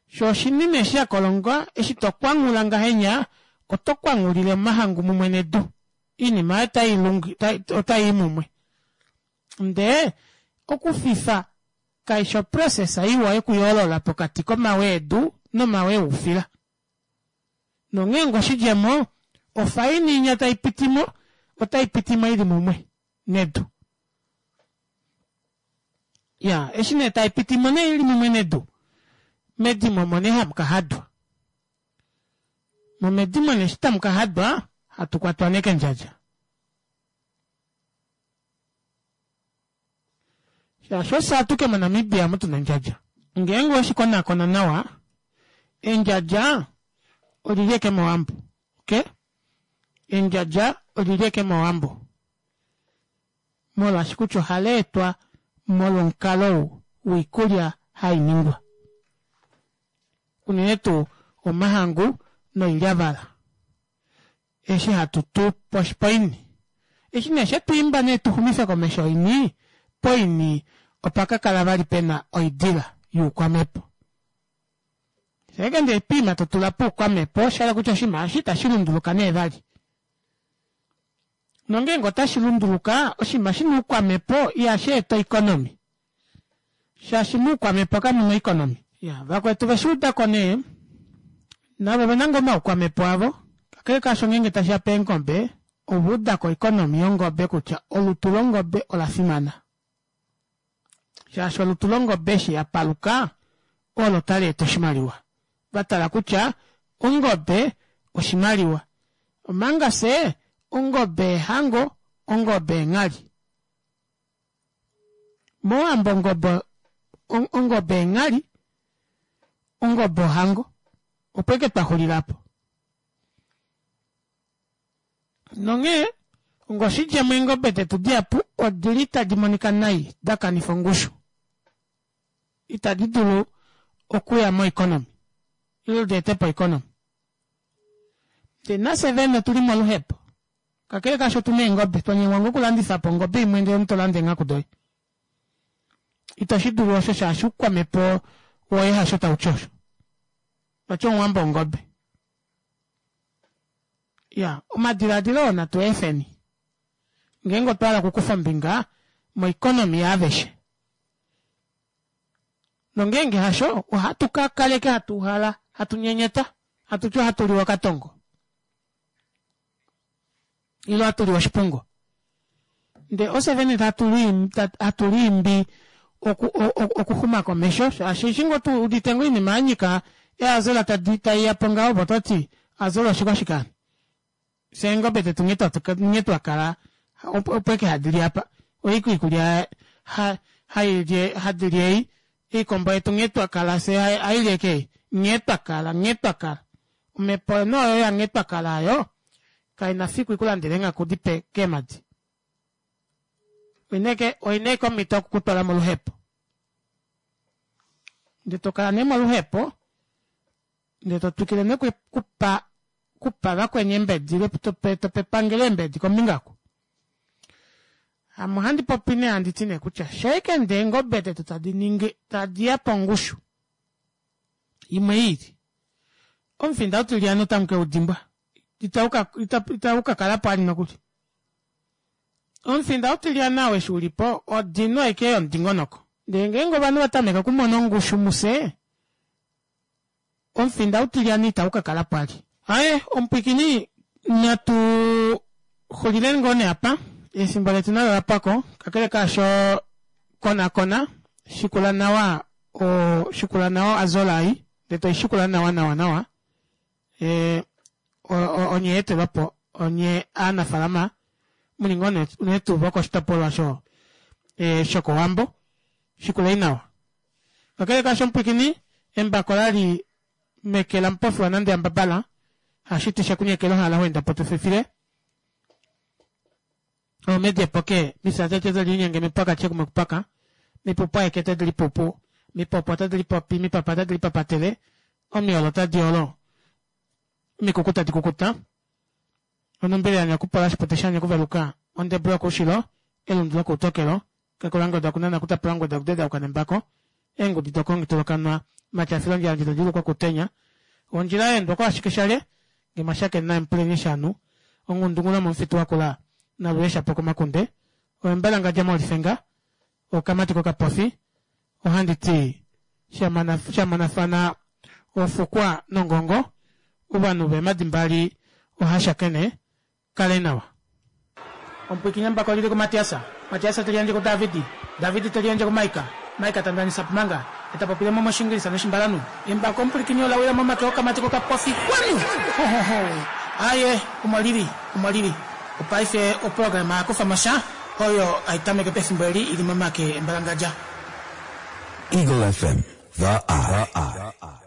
Sho oshinima eshi yakolongwa eshi tokwanghula ngahenya oto kwanghulile omahangu mumwe nedu. Oinima oyo otai otai mumwe. Ndee okufifa kaishi oprocess iwa yokuyoolola pokati komawe edu nomawe oufila. Nonghee oshidjemo ofaini inya tai pitimo otai pitimo ili mumwe nedu. Ya, eshi nee tai pitimo nee ili mumwe nedu, medimo omo nee hamu ka hadwa. Momedimo nee eshi tamu ka hadwa, hatu kwatwa nee kendjadja. Shaashi ofye atuke moNamibia omu tuna ondjadja. Ngeenge oweshi konakona nawa, endjadja olili eke mowambo. Okay? Endjadja olili eke mowambo. Molwaashi kutya ohala etwa molwomukalo woikulya hai ningwa. Unene tuu omahangu noilyavala. Eshi hatu tu poini. Eshi nee shetu imba nee tuxumife komesho oini, poini opa ka kala vali pena oidila youkwamhepo. Sheke ndee piima to tula poukwamhepo, osha kutya oshinima eshi itashi lunduluka nee vali. Nongeenge otashi lunduluka, oshinima shina oukwamhepo ihashi eta oeconomy. Shaashi moukwamhepo kamuna oeconomy. Ya, vakwetu veshuudako nee, navo ovena ngoo omaukwamhepo avo, kakele kaasho ngeenge tashiya peengobe, ova udako oeconomy yongobe kutya olutu longobe ola fimana. Shaashi olutu longobe eshi ya paluka, olo tali eta oshimaliwa. Vatala kutya ongobe oshimaliwa. Omanga fye ongobe ehango, ongobe enghali. Mowambo ongobe ongobe enghali, ongobe ohango. Opo eke twaxulilapo. Nonghee ongoshidjemo eengobe detu dihapu odili tadi monika nai, da kanifa ongushu. Itadi dulu okuya moeconomy. Ile di etepo economy. Ndee nafye vene otuli moluhepo. Kakele kaasho otuna eengobe, twanyengwa ngoo okulandifa po ongobe imwe ndele omuntu tolanda eenghaku doye. Itoshi dulu osho shaashi oukwamhepo woye hasho tauti osho. Vati omuwambo ongobe. Ya, omadilaadilo oo natu efeni. Ngeenge otwa hala okukufa ombinga moeconomy yaaveshe. Nongeenge hasho, ohatu ka kaleke hatu hala, hatu nyenyeta, hatu ti ohatu liwa okatongo. Ile ohatu liwa oshipungo. Ndee ofye vene hatu liimbi oku- o- o- okuxuma komesho shaashi eshi ngoo tu udite ngoo oinima yanyika eazola tadi taiya po ngaho opo toti azola oshikwashike fye eengobe detu nghee twatu- nghee twakala opo opo eke hadi li apa oiko iikulya ha- hailye hadi li ei iikombo yetu nghee twakala fye haili eke ei nghee twakala nghee twakala omhepo noyo ya nghee twakala ayo kaina fiku ikulandele eenghaku dipe keemadi oina eke oina eke omhito okukutwala moluhepo ndee tokala nee moluhepo ndee totwikile nee kupa kupa vakweni eembedi ile tope tope epangelo eembedi kombinga oku ame ohandi popi nee handi ti nee kutya shaike ndee eengobe detu tadi ningi tadiya pongushu imwe iili omufinda utilyana otamu keudimbwa itauka ita kalapo ali nokuli omufinda utilyana ou eshi ulipo odino aike yomudingonoko ndee ngeenge ovanhu vatameke okumona ongushu mufye omufinda utilyana itaukakalapo ali aaye omupwiikini natu xulileni ngoo nee apa efimbo letu nalo olapwako kakele kaasho konakona shikula nawa o shikula nawa azola ei ndee toishikula nawa nawa nawa ee onye eetelwapo onye aanafalama muli ngoo nee unene tuu vokoshitopolwa sho e, shokowambo shikulei nawa kakele kaasho omupwiikini embako lali meke lamupofi wanande yambabala hashiti shekunyekela ohala hwenda po tufifile omedi epoke misatete telinyenge mipaka chekume kupaka mipupu aeke tadi lipupu mipopo tadi lipopi mipapa tadi lipapatele omiolo tadi olo omikuku tadi kukuta onombele yanyakupola oshipote shanyakuveluka ondebulu yokuushilo elundu lokuutokelo kakulangoda kunana kutapulangoda kudedauka nembako eengudi dokongitolokanwa matyafilondjandji tadilukwa kutenya ondjila yaendwa ashike shale ngemashakeni naempuleni shanu ongundungula momufitu wakula naluyeshapo komakunde oembalangadja molifenga okamati kokapofi ohandi ti shamonafana ofukwa nongongo ovanhu veemadi mbali ohashakene kale nawa omupwiikini embako lili kumatiasa matiasa teliandje ku davidi davidi teliandje ku maika maika tandanisa pumanga etapopile mo moshingilisa noshimbalanu embako omupwilikini olawila momake okamati kokapofi kwanu hohoho aye omo lili omo lili opaife oprograma yakufa mosha oyo aitameke pefimbo eli ili momake embalangadja Eagle F M, the eye.